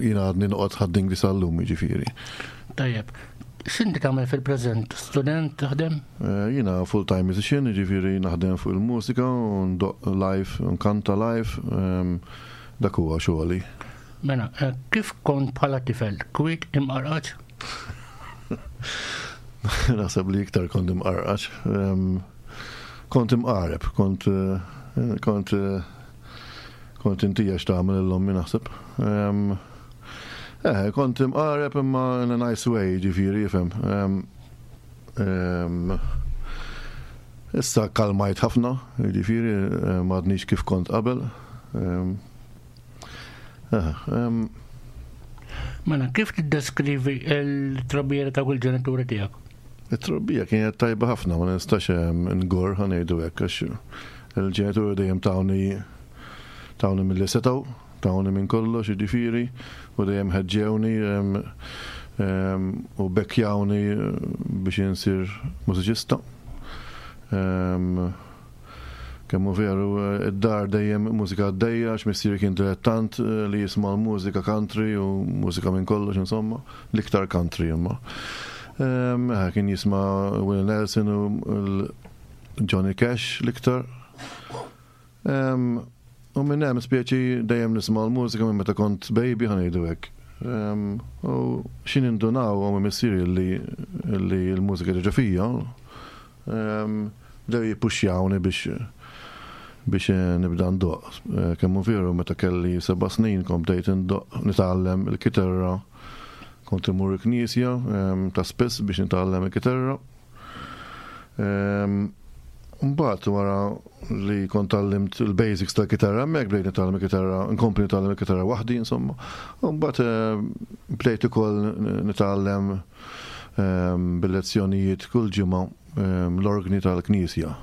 jiena għadni noqgħod Ħad-Dingli sal-lum, jiġifieri. Tajjeb, x'inti tagħmel fil-preżent? Student taħdem? Eh, jiena full-time musician, jiġifieri naħdem fuq il-mużika, u ndoqq live, nkanta live, ehm, dak huwa xogħli. Mela, eh, kif kont bħala tifel? Kwiet imqarqaċ? Naħseb li iktar kont imqarqaċ. Ehm, kont imqareb, kont eh, kont kont intija x'tagħmel l-ommi naħseb. Ehm, Eh, kont imqareb imma in a nice way, ġifieri, jifhem. Issa kalmajt ħafna, ġifieri, m'għadnix kif kont qabel. Eh, mela, kif tiddeskrivi l-trobbija ta' kull ġenituri tiegħek? It-trobbija kienet tajba ħafna, ma nistax ngor ħanejdu hekk għax il-ġenituri dejjem tawni tawni milli setgħu. Tawni minn kollox, jiġifieri, u dejjem ħeġġewni u bekkjawni biex insir mużiċista. Kemm hu veru, id-dar dejjem mużika għaddejja, għax missieri kien dilettant li jisma' l-mużika country u mużika minn kollox, insomma, l-iktar country imma. Kien jisma' Willie Nelson u Johnny Cash l-iktar. U minn hemm speċi dejjem nisma' l-mużika minn meta kont baby ħa ngħidu hekk. U xi nindunaw ommi missieri li l-mużika ġo fija, bdew jippuxjawni biex biex nibda ndoqq. Kemm hu veru meta kelli seba' snin kont bdejt indoqq nitgħallem il-kitarra. Kont immur il-knisja ta' spiss biex nitgħallem il-kitarra. Mbagħad wara li kont tgħallimt il-basics tal-kitarra hemmhekk bdejt nitgħallem il-kitarra, nkompli nitgħallem il-kitarra waħdi insomma. U mbagħad eh, bdejt ukoll nitgħallem ehm, bil-lezzjonijiet kull ġimgħa ehm, l-orgni tal-knisja.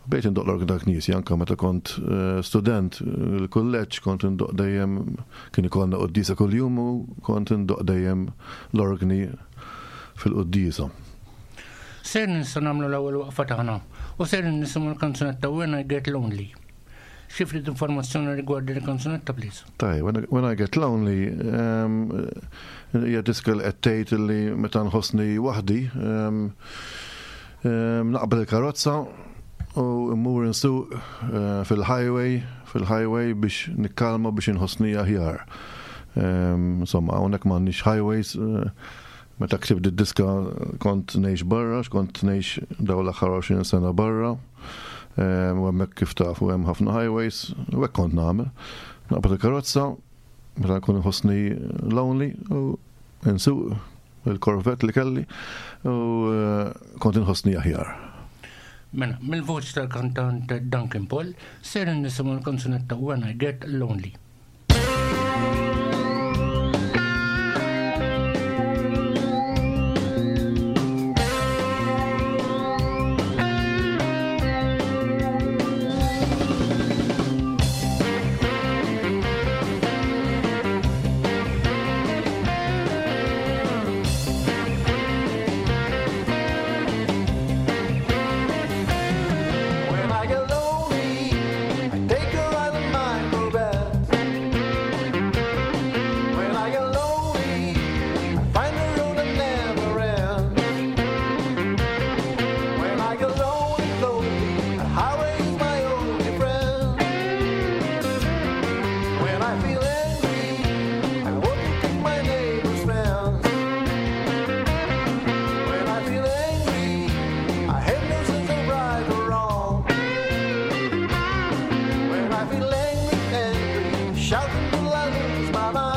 Bdejt indoq l-orgni tal-knisja anke meta kont eh, student il-kulleġġ kont indoq dejjem kien ikollna quddiesa kuljum u kont indoq dejjem l-orgni fil-quddiesa. Sejrin issa nagħmlu l-ewwel waqfa tagħna u sejrin nisimgħu l-kanzunetta When I Get Lonely. Xi ftit informazzjoni rigward din il-kanzunetta please. Tajjeb, When I, When I Get Lonely ehm, hija diska li qed tgħid li meta nħossni waħdi ehm, ehm, naqbel il-karozza u mmur insuq eh, fil-highway fil-highway biex nikkalma biex inħossni aħjar. Insomma, hawnhekk m'għandniex highways eh, Meta ktibt did-diska kont ngħix barra, għax kont ngħix dawn l-aħħar 20 sena barra. Ehm, u hemmhekk kif tafu hemm ħafna highways, u hekk kont nagħmel. Naqbad il-karozza, meta nkun inħossni lonely, u nsuq il-Corvette li kelli, u eh, kont inħossni aħjar. Mela, mill-voċ tal-kantant Duncan Paul, ser nisimgħu l-kanzunetta When I Get Lonely. When I get lonely, I take a ride in my Corvette. When I get lonely, I find a road that never ends. When I get lonely, lonely, the highway is my only friend. When I feel angry, I walk and kick my neighbor's fence. When I feel angry, I have no sense of right or wrong. When I feel angry, angry, shouting till I lose my mind.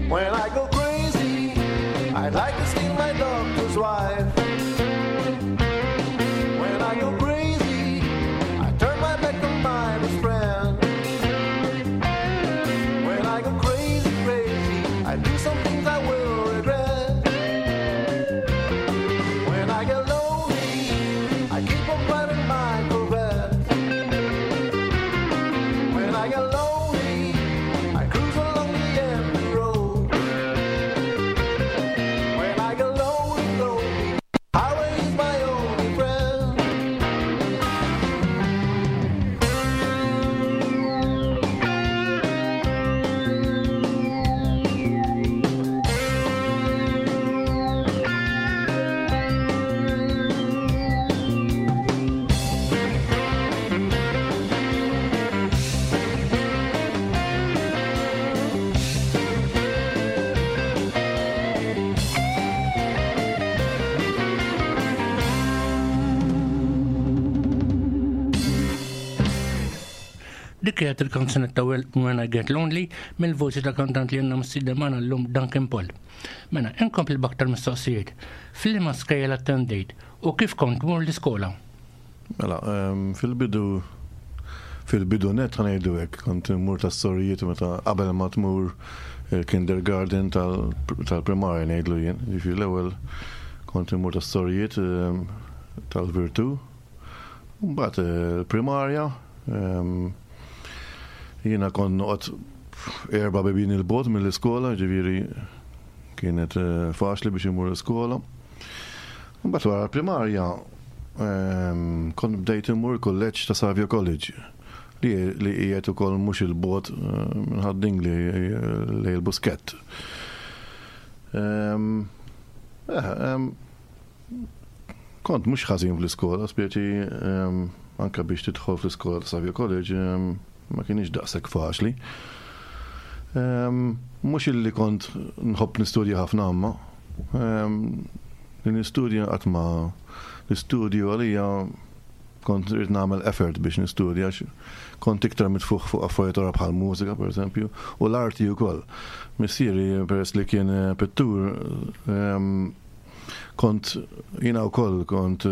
When I go crazy, I'd like to steal my doctor's wife. When I go crazy, I turn my back on my best friend. When I go crazy, crazy, I do some things I will regret. When I get lonely, I keep on driving my Corvette. When I get lonely, I cruise along the empty road. When I get lonely, lonely, highway is my only friend. Dik kienet il-kanzunetta When I Get Lonely mill-voċi ta' kantant li għandna mistieden magħna llum Duncan Paul. Mela, inkompli b'aktar mistoqsijiet. F'liema skejjel attendejt u kif kont tmur l-iskola? Mela, ehm, fil-bidu fil-bidu net ħanejdu hekk, kont immur tas-sorijiet meta qabel ma tmur il-kindergarten tal-primarja ngħidlu jien. Ġifieri l-ewwel kont immur tas-sorijiet ehm, tal-Virtu. Mbagħad eh, primarja ehm, jiena kont noqgħod erba' bibien il-bogħod mill-iskola, ġifieri kienet eh, faċli biex imur l-iskola. Mbagħad wara l-primarja ehm, kont bdejt immur kulleġġ ta' Savio College li li qiegħed ukoll mhux il-bogħod eh, minn Ħad-Dingli lejn il-Buskett. Ehm, eh, ehm, Kont mhux ħażin fl-iskola, speċi ehm, anke biex tidħol fl-iskola ta' Savio College ehm, ma kienx daqshekk faċli. Ehm, mhux illi kont nħobb nistudja ħafna imma li nistudja qatt ma l-istudju għalija Kont rrid nagħmel effort biex nistudja għax kont iktar mitfugħ fuq affarijiet oħra bħal mużika pereżempju u l-arti wkoll. Missieri peress li kien pittur kont jiena wkoll kont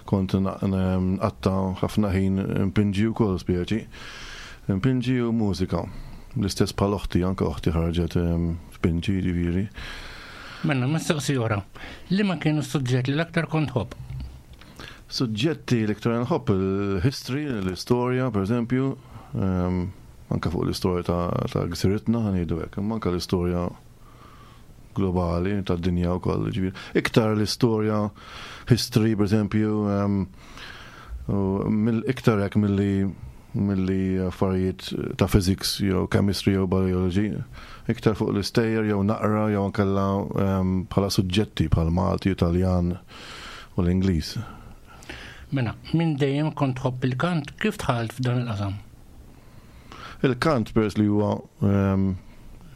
kont nqatta' ħafna ħin npinġi wkoll speċi. Npinġi u mużika. L-istess bħal oħti, anke oħti ħarġet tpinġi jiġifieri. Mela, mistoqsija oħra. Liema kienu s-suġġett li l-aktar kont tħobb? Suġġetti l-iktar nħobb il-history, l-istorja, per eżempju, anke fuq l-istorja ta' gżiritna, ngħidu hekk, imma anke l-istorja globali tad-dinja wkoll, ġifieri. Iktar l-istorja, history, per eżempju, iktar hekk milli milli affarijiet ta' physics jew chemistry jew biology, iktar fuq l-istejjer jew naqra jew ankella bħala suġġetti bħal Malti, Italjan u l-Ingliż. Mela, minn dejjem kont tħobb il-kant, kif dħalt f'dan il-qasam? Il-kant peress li huwa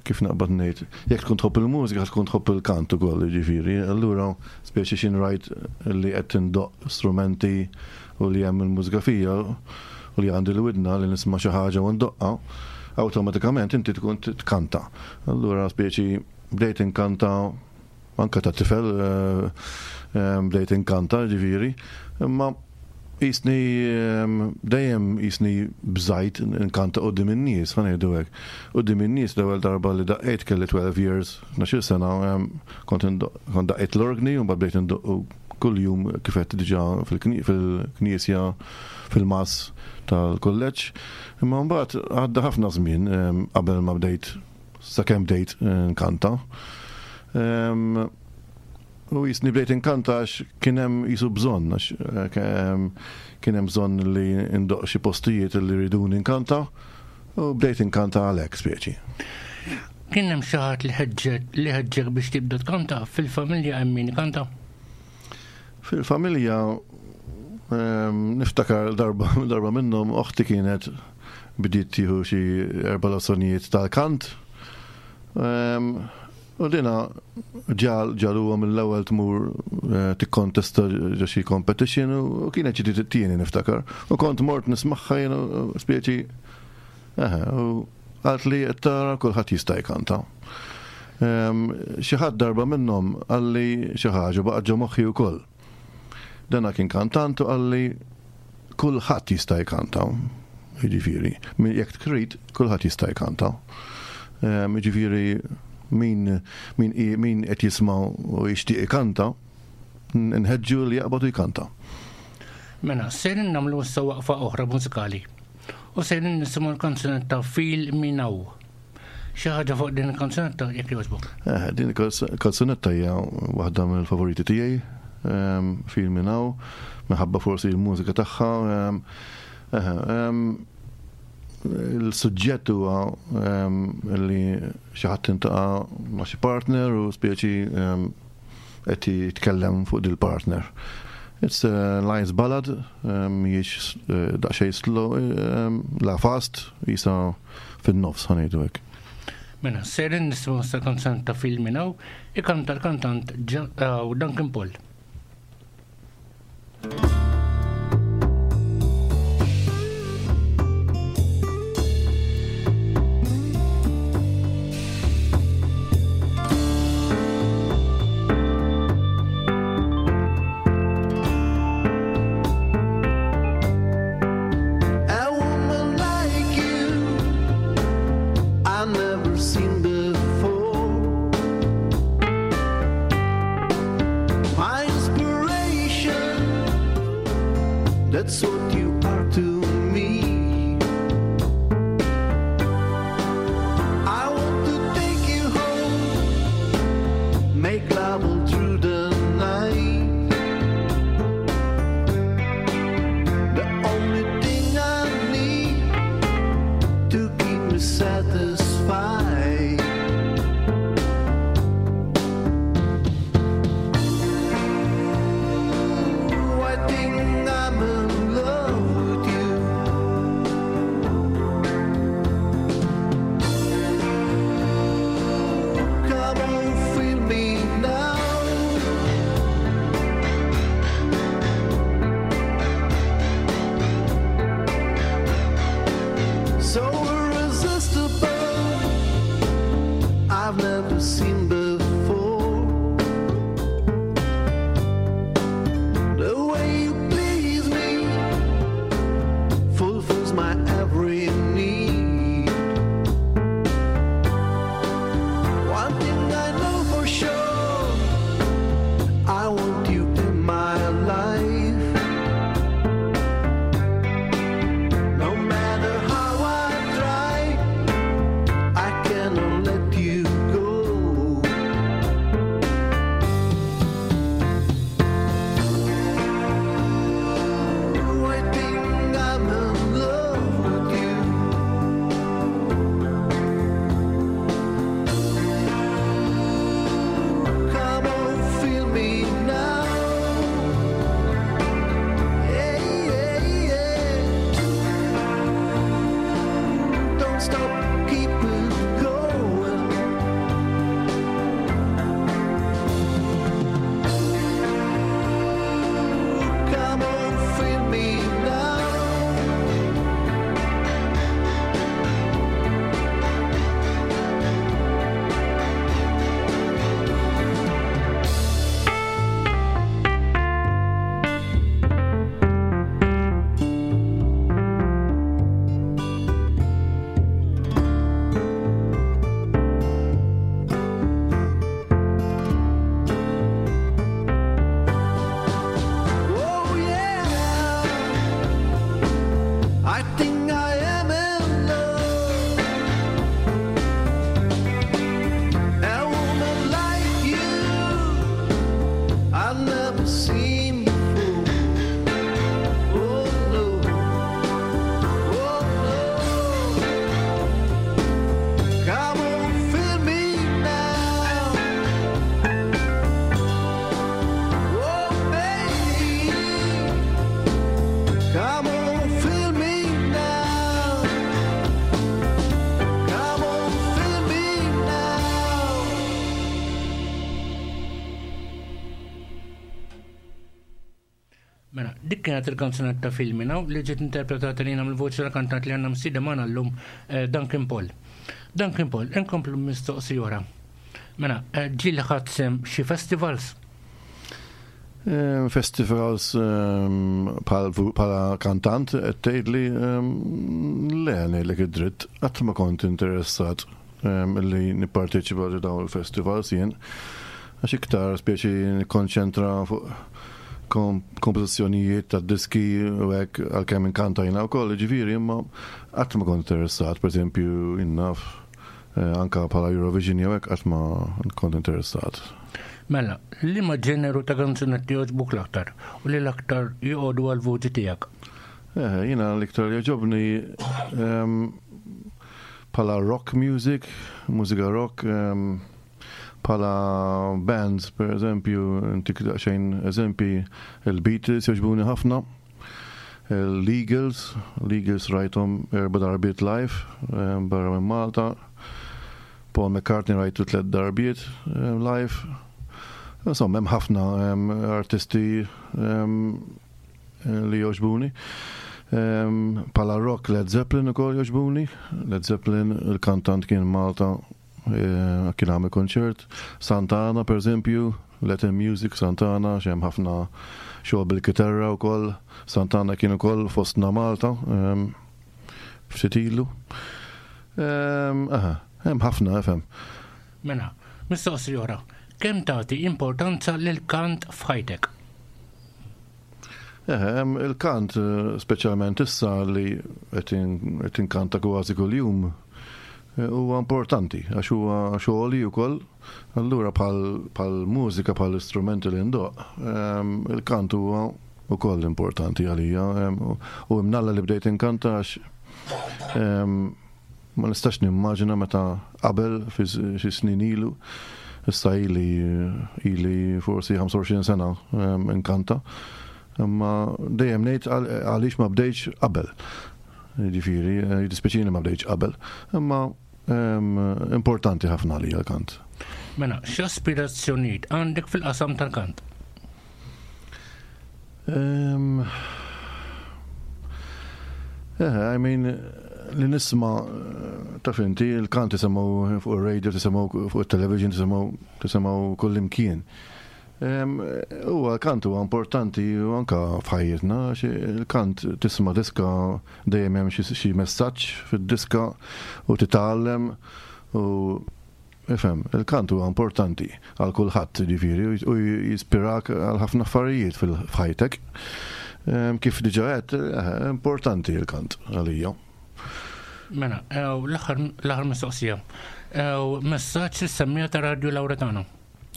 kif naqbad ngħid, jekk tkun tħobb il-mużika tkun tħobb il-kant ukoll, jiġifieri, allura speċi xi rajt li qed tindoqq strumenti u li hemm il-mużika fija u li għandi l-widna li nisma' xi ħaġa u ndoqqha, awtomatikament inti tkun tkanta. Allura speċi bdejt inkanta anke ta' tifel bdejt inkanta ġifieri, imma jisni dejjem jisni bżajt inkanta quddiem in-nies, ħa ngħidu hekk. Quddiem in-nies l-ewwel darba li daqqejt kelli 12 years, 12-il sena, kont daqqejt l-orgni u mbagħad bdejt indoqqu kuljum kif għedt diġà fil-knisja fil-mass tal-kulleġġ. Imma mbagħad għadda ħafna żmien qabel ma bdejt sakemm bdejt nkanta. U jisni bdejt inkanta għax kien hemm jisu bżonn għax kien hemm bżonn li ndoqq xi postijiet li riduni nkanta u bdejt inkanta għalhekk speċi. Kien hemm xi ħadd li ħeġġek li ħeġġek biex tibda tkanta? Fil-familja hemm min ikanta? Fil-familja niftakar darba darba minnhom oħti kienet bdiet tieħu xi erba' lezzjonijiet tal-kant. U dina ġal ġaluha mill-ewwel tmur eh, tikkontesta ġo xi competition u kienet xi tieni niftakar. U kont mort nismagħha jien speċi Eħe, u qaltli qed tara kulħadd jista' jkanta. Xi ħadd darba minnhom qalli xi ħaġa u baqgħet ġo moħħi wkoll. Dana kien kantant u qalli kulħadd jista' jkanta. Jiġifieri, jekk trid, kulħadd jista' jkanta. Jiġifieri min min min qed jisma' u jixtieq ikanta, nħeġġu li jaqbad u jkanta. Mela, sejrin nagħmlu issa waqfa oħra mużikali. U sejrin nisimgħu l-kanzunetta Feel Me Now. Xi ħaġa fuq din il-kanzunetta jekk jogħġbok. Eh, din il-kanzunetta hija waħda mill-favoriti tiegħi, ehm, Feel Me Now, minħabba forsi l-mużika tagħha. Ehm, eh, ehm, il-suġġett huwa li xi ħadd intaqa' ma' xi partner u speċi qed jitkellem fuq dil-partner. It's a nice ballad, mhijiex daqsxejn slow, la fast, jisa fin-nofs ħa ngħidu hekk. Mela, sejrin nisimgħu issa kanzunetta ta' Feel Me Now, ikanta l-kantant Duncan Paul. That's what you are to me. I want to take you home, make love all through the night. The only thing I need to keep me satisfied. Ooh, I think I'm in love with you. Mela, dik kienet il-kanzunetta Filmina li ġiet interpretata lina mill-voċi tal-kantant li għandna msida magħna llum eh, Duncan Paul. Duncan Paul, inkomplu mistoqsi oħra. Mela, eh, ġieli ħadd sem xi festivals? Eh, festivals ehm, bħala kantant qed tgħidli ehm, le ngħidlek id-dritt qatt ma kont interessat li nipparteċipa ġo dawn il-festivals jien għax iktar speċi nikkonċentra fuq kompożizzjonijiet ta' diski u hekk għalkemm inkanta jiena wkoll, ġifieri imma qatt ma kont interessat, pereżempju jien naf eh, anka bħala Eurovision jew hekk qatt ma kont interessat. Mela, liema ġeneru ta' kanzunetti jogħġbuk l-aktar u li l-aktar joqogħdu għall-vuċi tiegħek? Eh, jiena l-iktar jogħġobni ehm, Bħala rock music, mużika rock, bħala bands, per eżempju, ntik daqsxejn eżempji, il-Beatles jogħġbuni ħafna, l-Eagles, l-Eagles rajthom erba' darbiet live barra minn Malta, Paul McCartney rajtu tliet darbiet live. Insomma, hemm ħafna artisti li jogħġbuni. Bħala rock Led Zeppelin ukoll jogħġbuni. Led Zeppelin il-kantant kien Malta eh, kien għamel konċert. Santana per eżempju, Latin Music Santana, xem ħafna xogħol bil-kitarra wkoll. Santana kien ukoll fostna Malta ftit ilu. Aha, hemm ħafna, fhem. Mela, mistoqsija oħra, kemm tagħti importanza lill-kant f'ħajtek? Eħe, il-kant, speċjalment issa li qed inkanta kważi kuljum, eh, huwa importanti għax huwa xogħli wkoll. Allura bħal mużika bħal istrumenti li ndoq, il-kant huwa wkoll importanti għalija u imnalla li bdejt inkanta għax Ma nistax nimmaġina meta qabel fi xi snin ilu, issa ili ili forsi 25 sena ehm, inkanta. Imma dejjem ngħid għaliex ma bdejtx qabel. Jiġifieri, eh, jiddispjaċini ma bdejtx qabel. Imma ehm, importanti ħafna li l-kant. Mela, x'aspirazzjonijiet għandek fil-qasam tal-kant? Um, eh, I mean, li nisma taf inti, il-kant tisimgħu fuq il-radio, tisimgħu fuq il-television, tisimgħu tisimgħu kull imkien. Huwa l-kant huwa importanti u anka f'ħajjitna, il-kant tisma' diska dejjem hemm xi messaġġ fid-diska u titgħallem u Ifhem, il-kant huwa importanti għal kulħadd, jiġifieri, u jispirak għal ħafna affarijiet f'ħajtek. Ehm, kif diġà għedt, eh, importanti l-kant għalija. Mela, eh, l-aħħar mistoqsija. Eh, messaġġ lis-semmija ta' Radju Lauretano.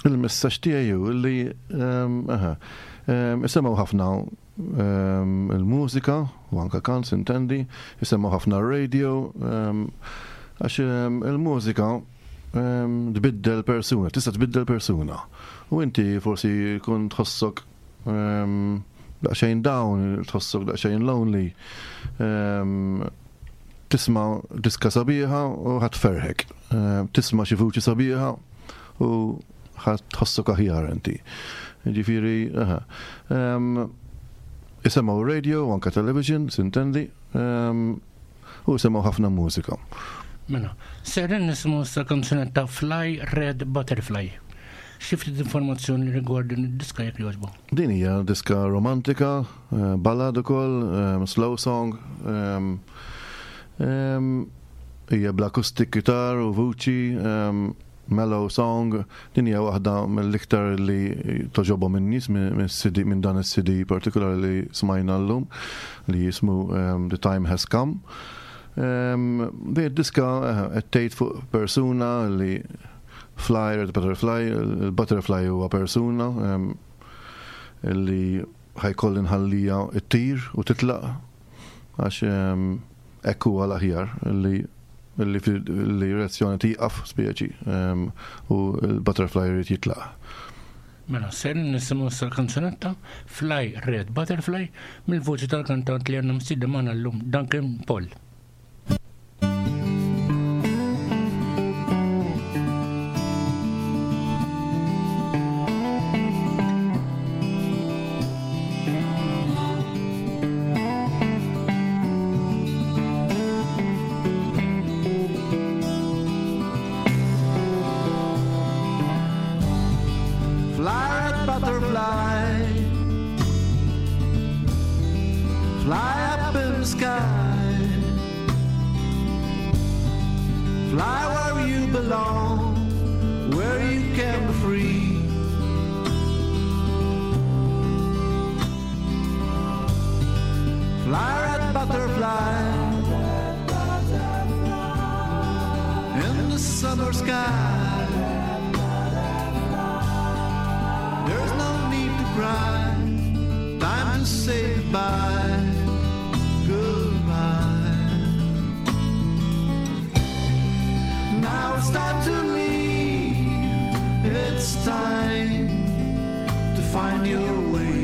Il-messaġġ tiegħi hu li ehm, ehm, isimgħu ħafna il-mużika u anka kant sintendi, jisemgħu ħafna r-radio, għax il-mużika tbiddel persuna, tista' tbiddel persuna. U inti forsi kun tħossok daqsxejn down, tħossok daqsxejn lonely, tisma' diska sabiħa u ħadd ferħek. Tisma' xi vuċi sabiħa u ħa tħossok aħjar inti. Ġifieri, aha. Isemgħu radio u anka television, sintendi, u isemgħu ħafna mużika. Mela, serin nisimgħu issa kanzunetta Fly Red Butterfly. Xi ftit informazzjoni rigward din id-diska jekk jogħġbu. Din hija diska romantika, eh, ballad ukoll, eh, slow song. Hija bl-acoustic guitar u vuċi, Mellow Song, din hija waħda mill-iktar li toġobhom in-nies mis-CD minn dan is-CD partikolari li smajna llum li jismu ehm, The Time Has Come. Ehm, din id-diska eh, qed tgħid fuq persuna li fly, red butterfly, il-butterfly huwa persuna ehm, li ħajkolli nħallija ttir u titlaq għax hekk huwa l-aħjar li li relazzjoni tieqaf speċi u l-butterfly jrid jitlaq. Mela, ser nisimgħu issa l-kanzunetta Fly Red Butterfly mill-vuċi tal-kantant li għandna msiedem magħna llum Duncan Paul. Fly up in the sky. Fly where you belong, where you can be free. Fly, red butterfly, in the summer sky. There's no need to cry, time to say goodbye, goodbye. Now it's time to leave, it's time to find your way.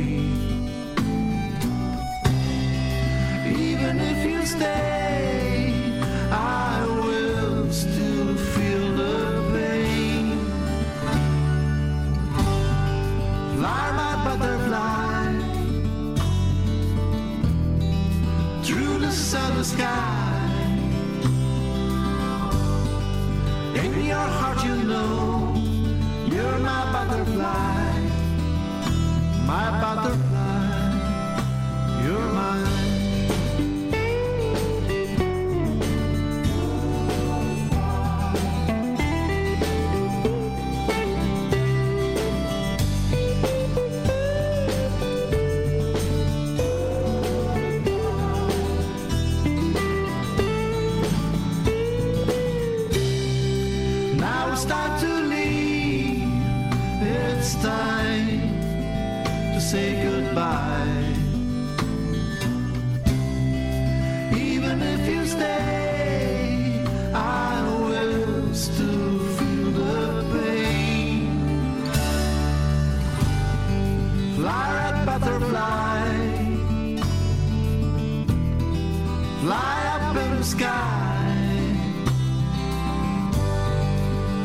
Even if you stay, I will still feel the pain. Fly, my butterfly, through the summer sky. In your heart, you know you're my butterfly, my butterfly, you're mine. Now it's time to leave. It's time to say goodbye. Even if you stay, I will still feel the pain. Fly, red butterfly, fly up in the sky.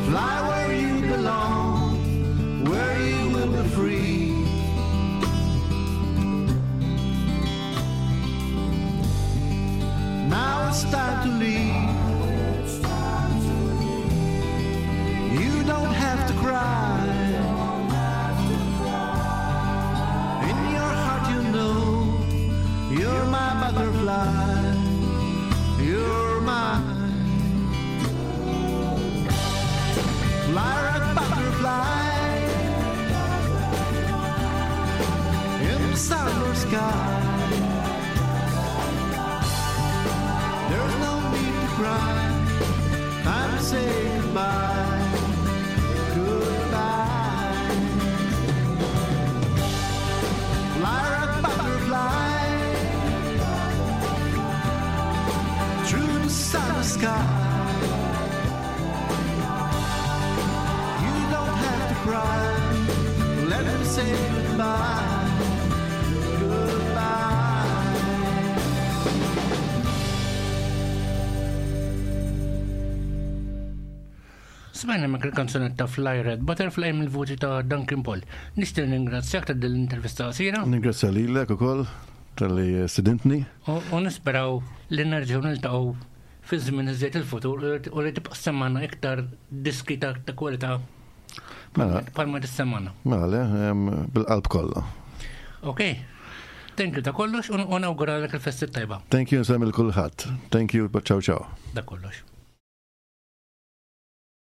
Fly where you belong, where you will be free. Now it's time to leave. You don't have to cry. In your heart, you know you're my butterfly. You're mine. Fly, red butterfly, in the summer sky. There's no need to cry. Time to say goodbye, goodbye. Fly, red butterfly, through the summer sky. You don't have to cry. Let me say goodbye. Goodbye. Smajna mek il-kanzunetta Fly Red Butterfly mill-vuċi ta' Duncan Paul. Nixtieq ningrazzjak ta' din l-intervista qasira Ningrazzja lilek ukoll talli stedintni. u nisperaw li nerġgħu niltaqgħu fi żmien iżjed il-futur u li tibqa' semmana iktar diski ta' ta' kwalità Mela, bħalma tissemmana. mela le, em, bil-qalb kollha. Ok. Thank you ta' kollox u nawguralek il-festi tajba. Thank you, nsellem lil kulħadd. Thank you, ciao ciao. Da kollox.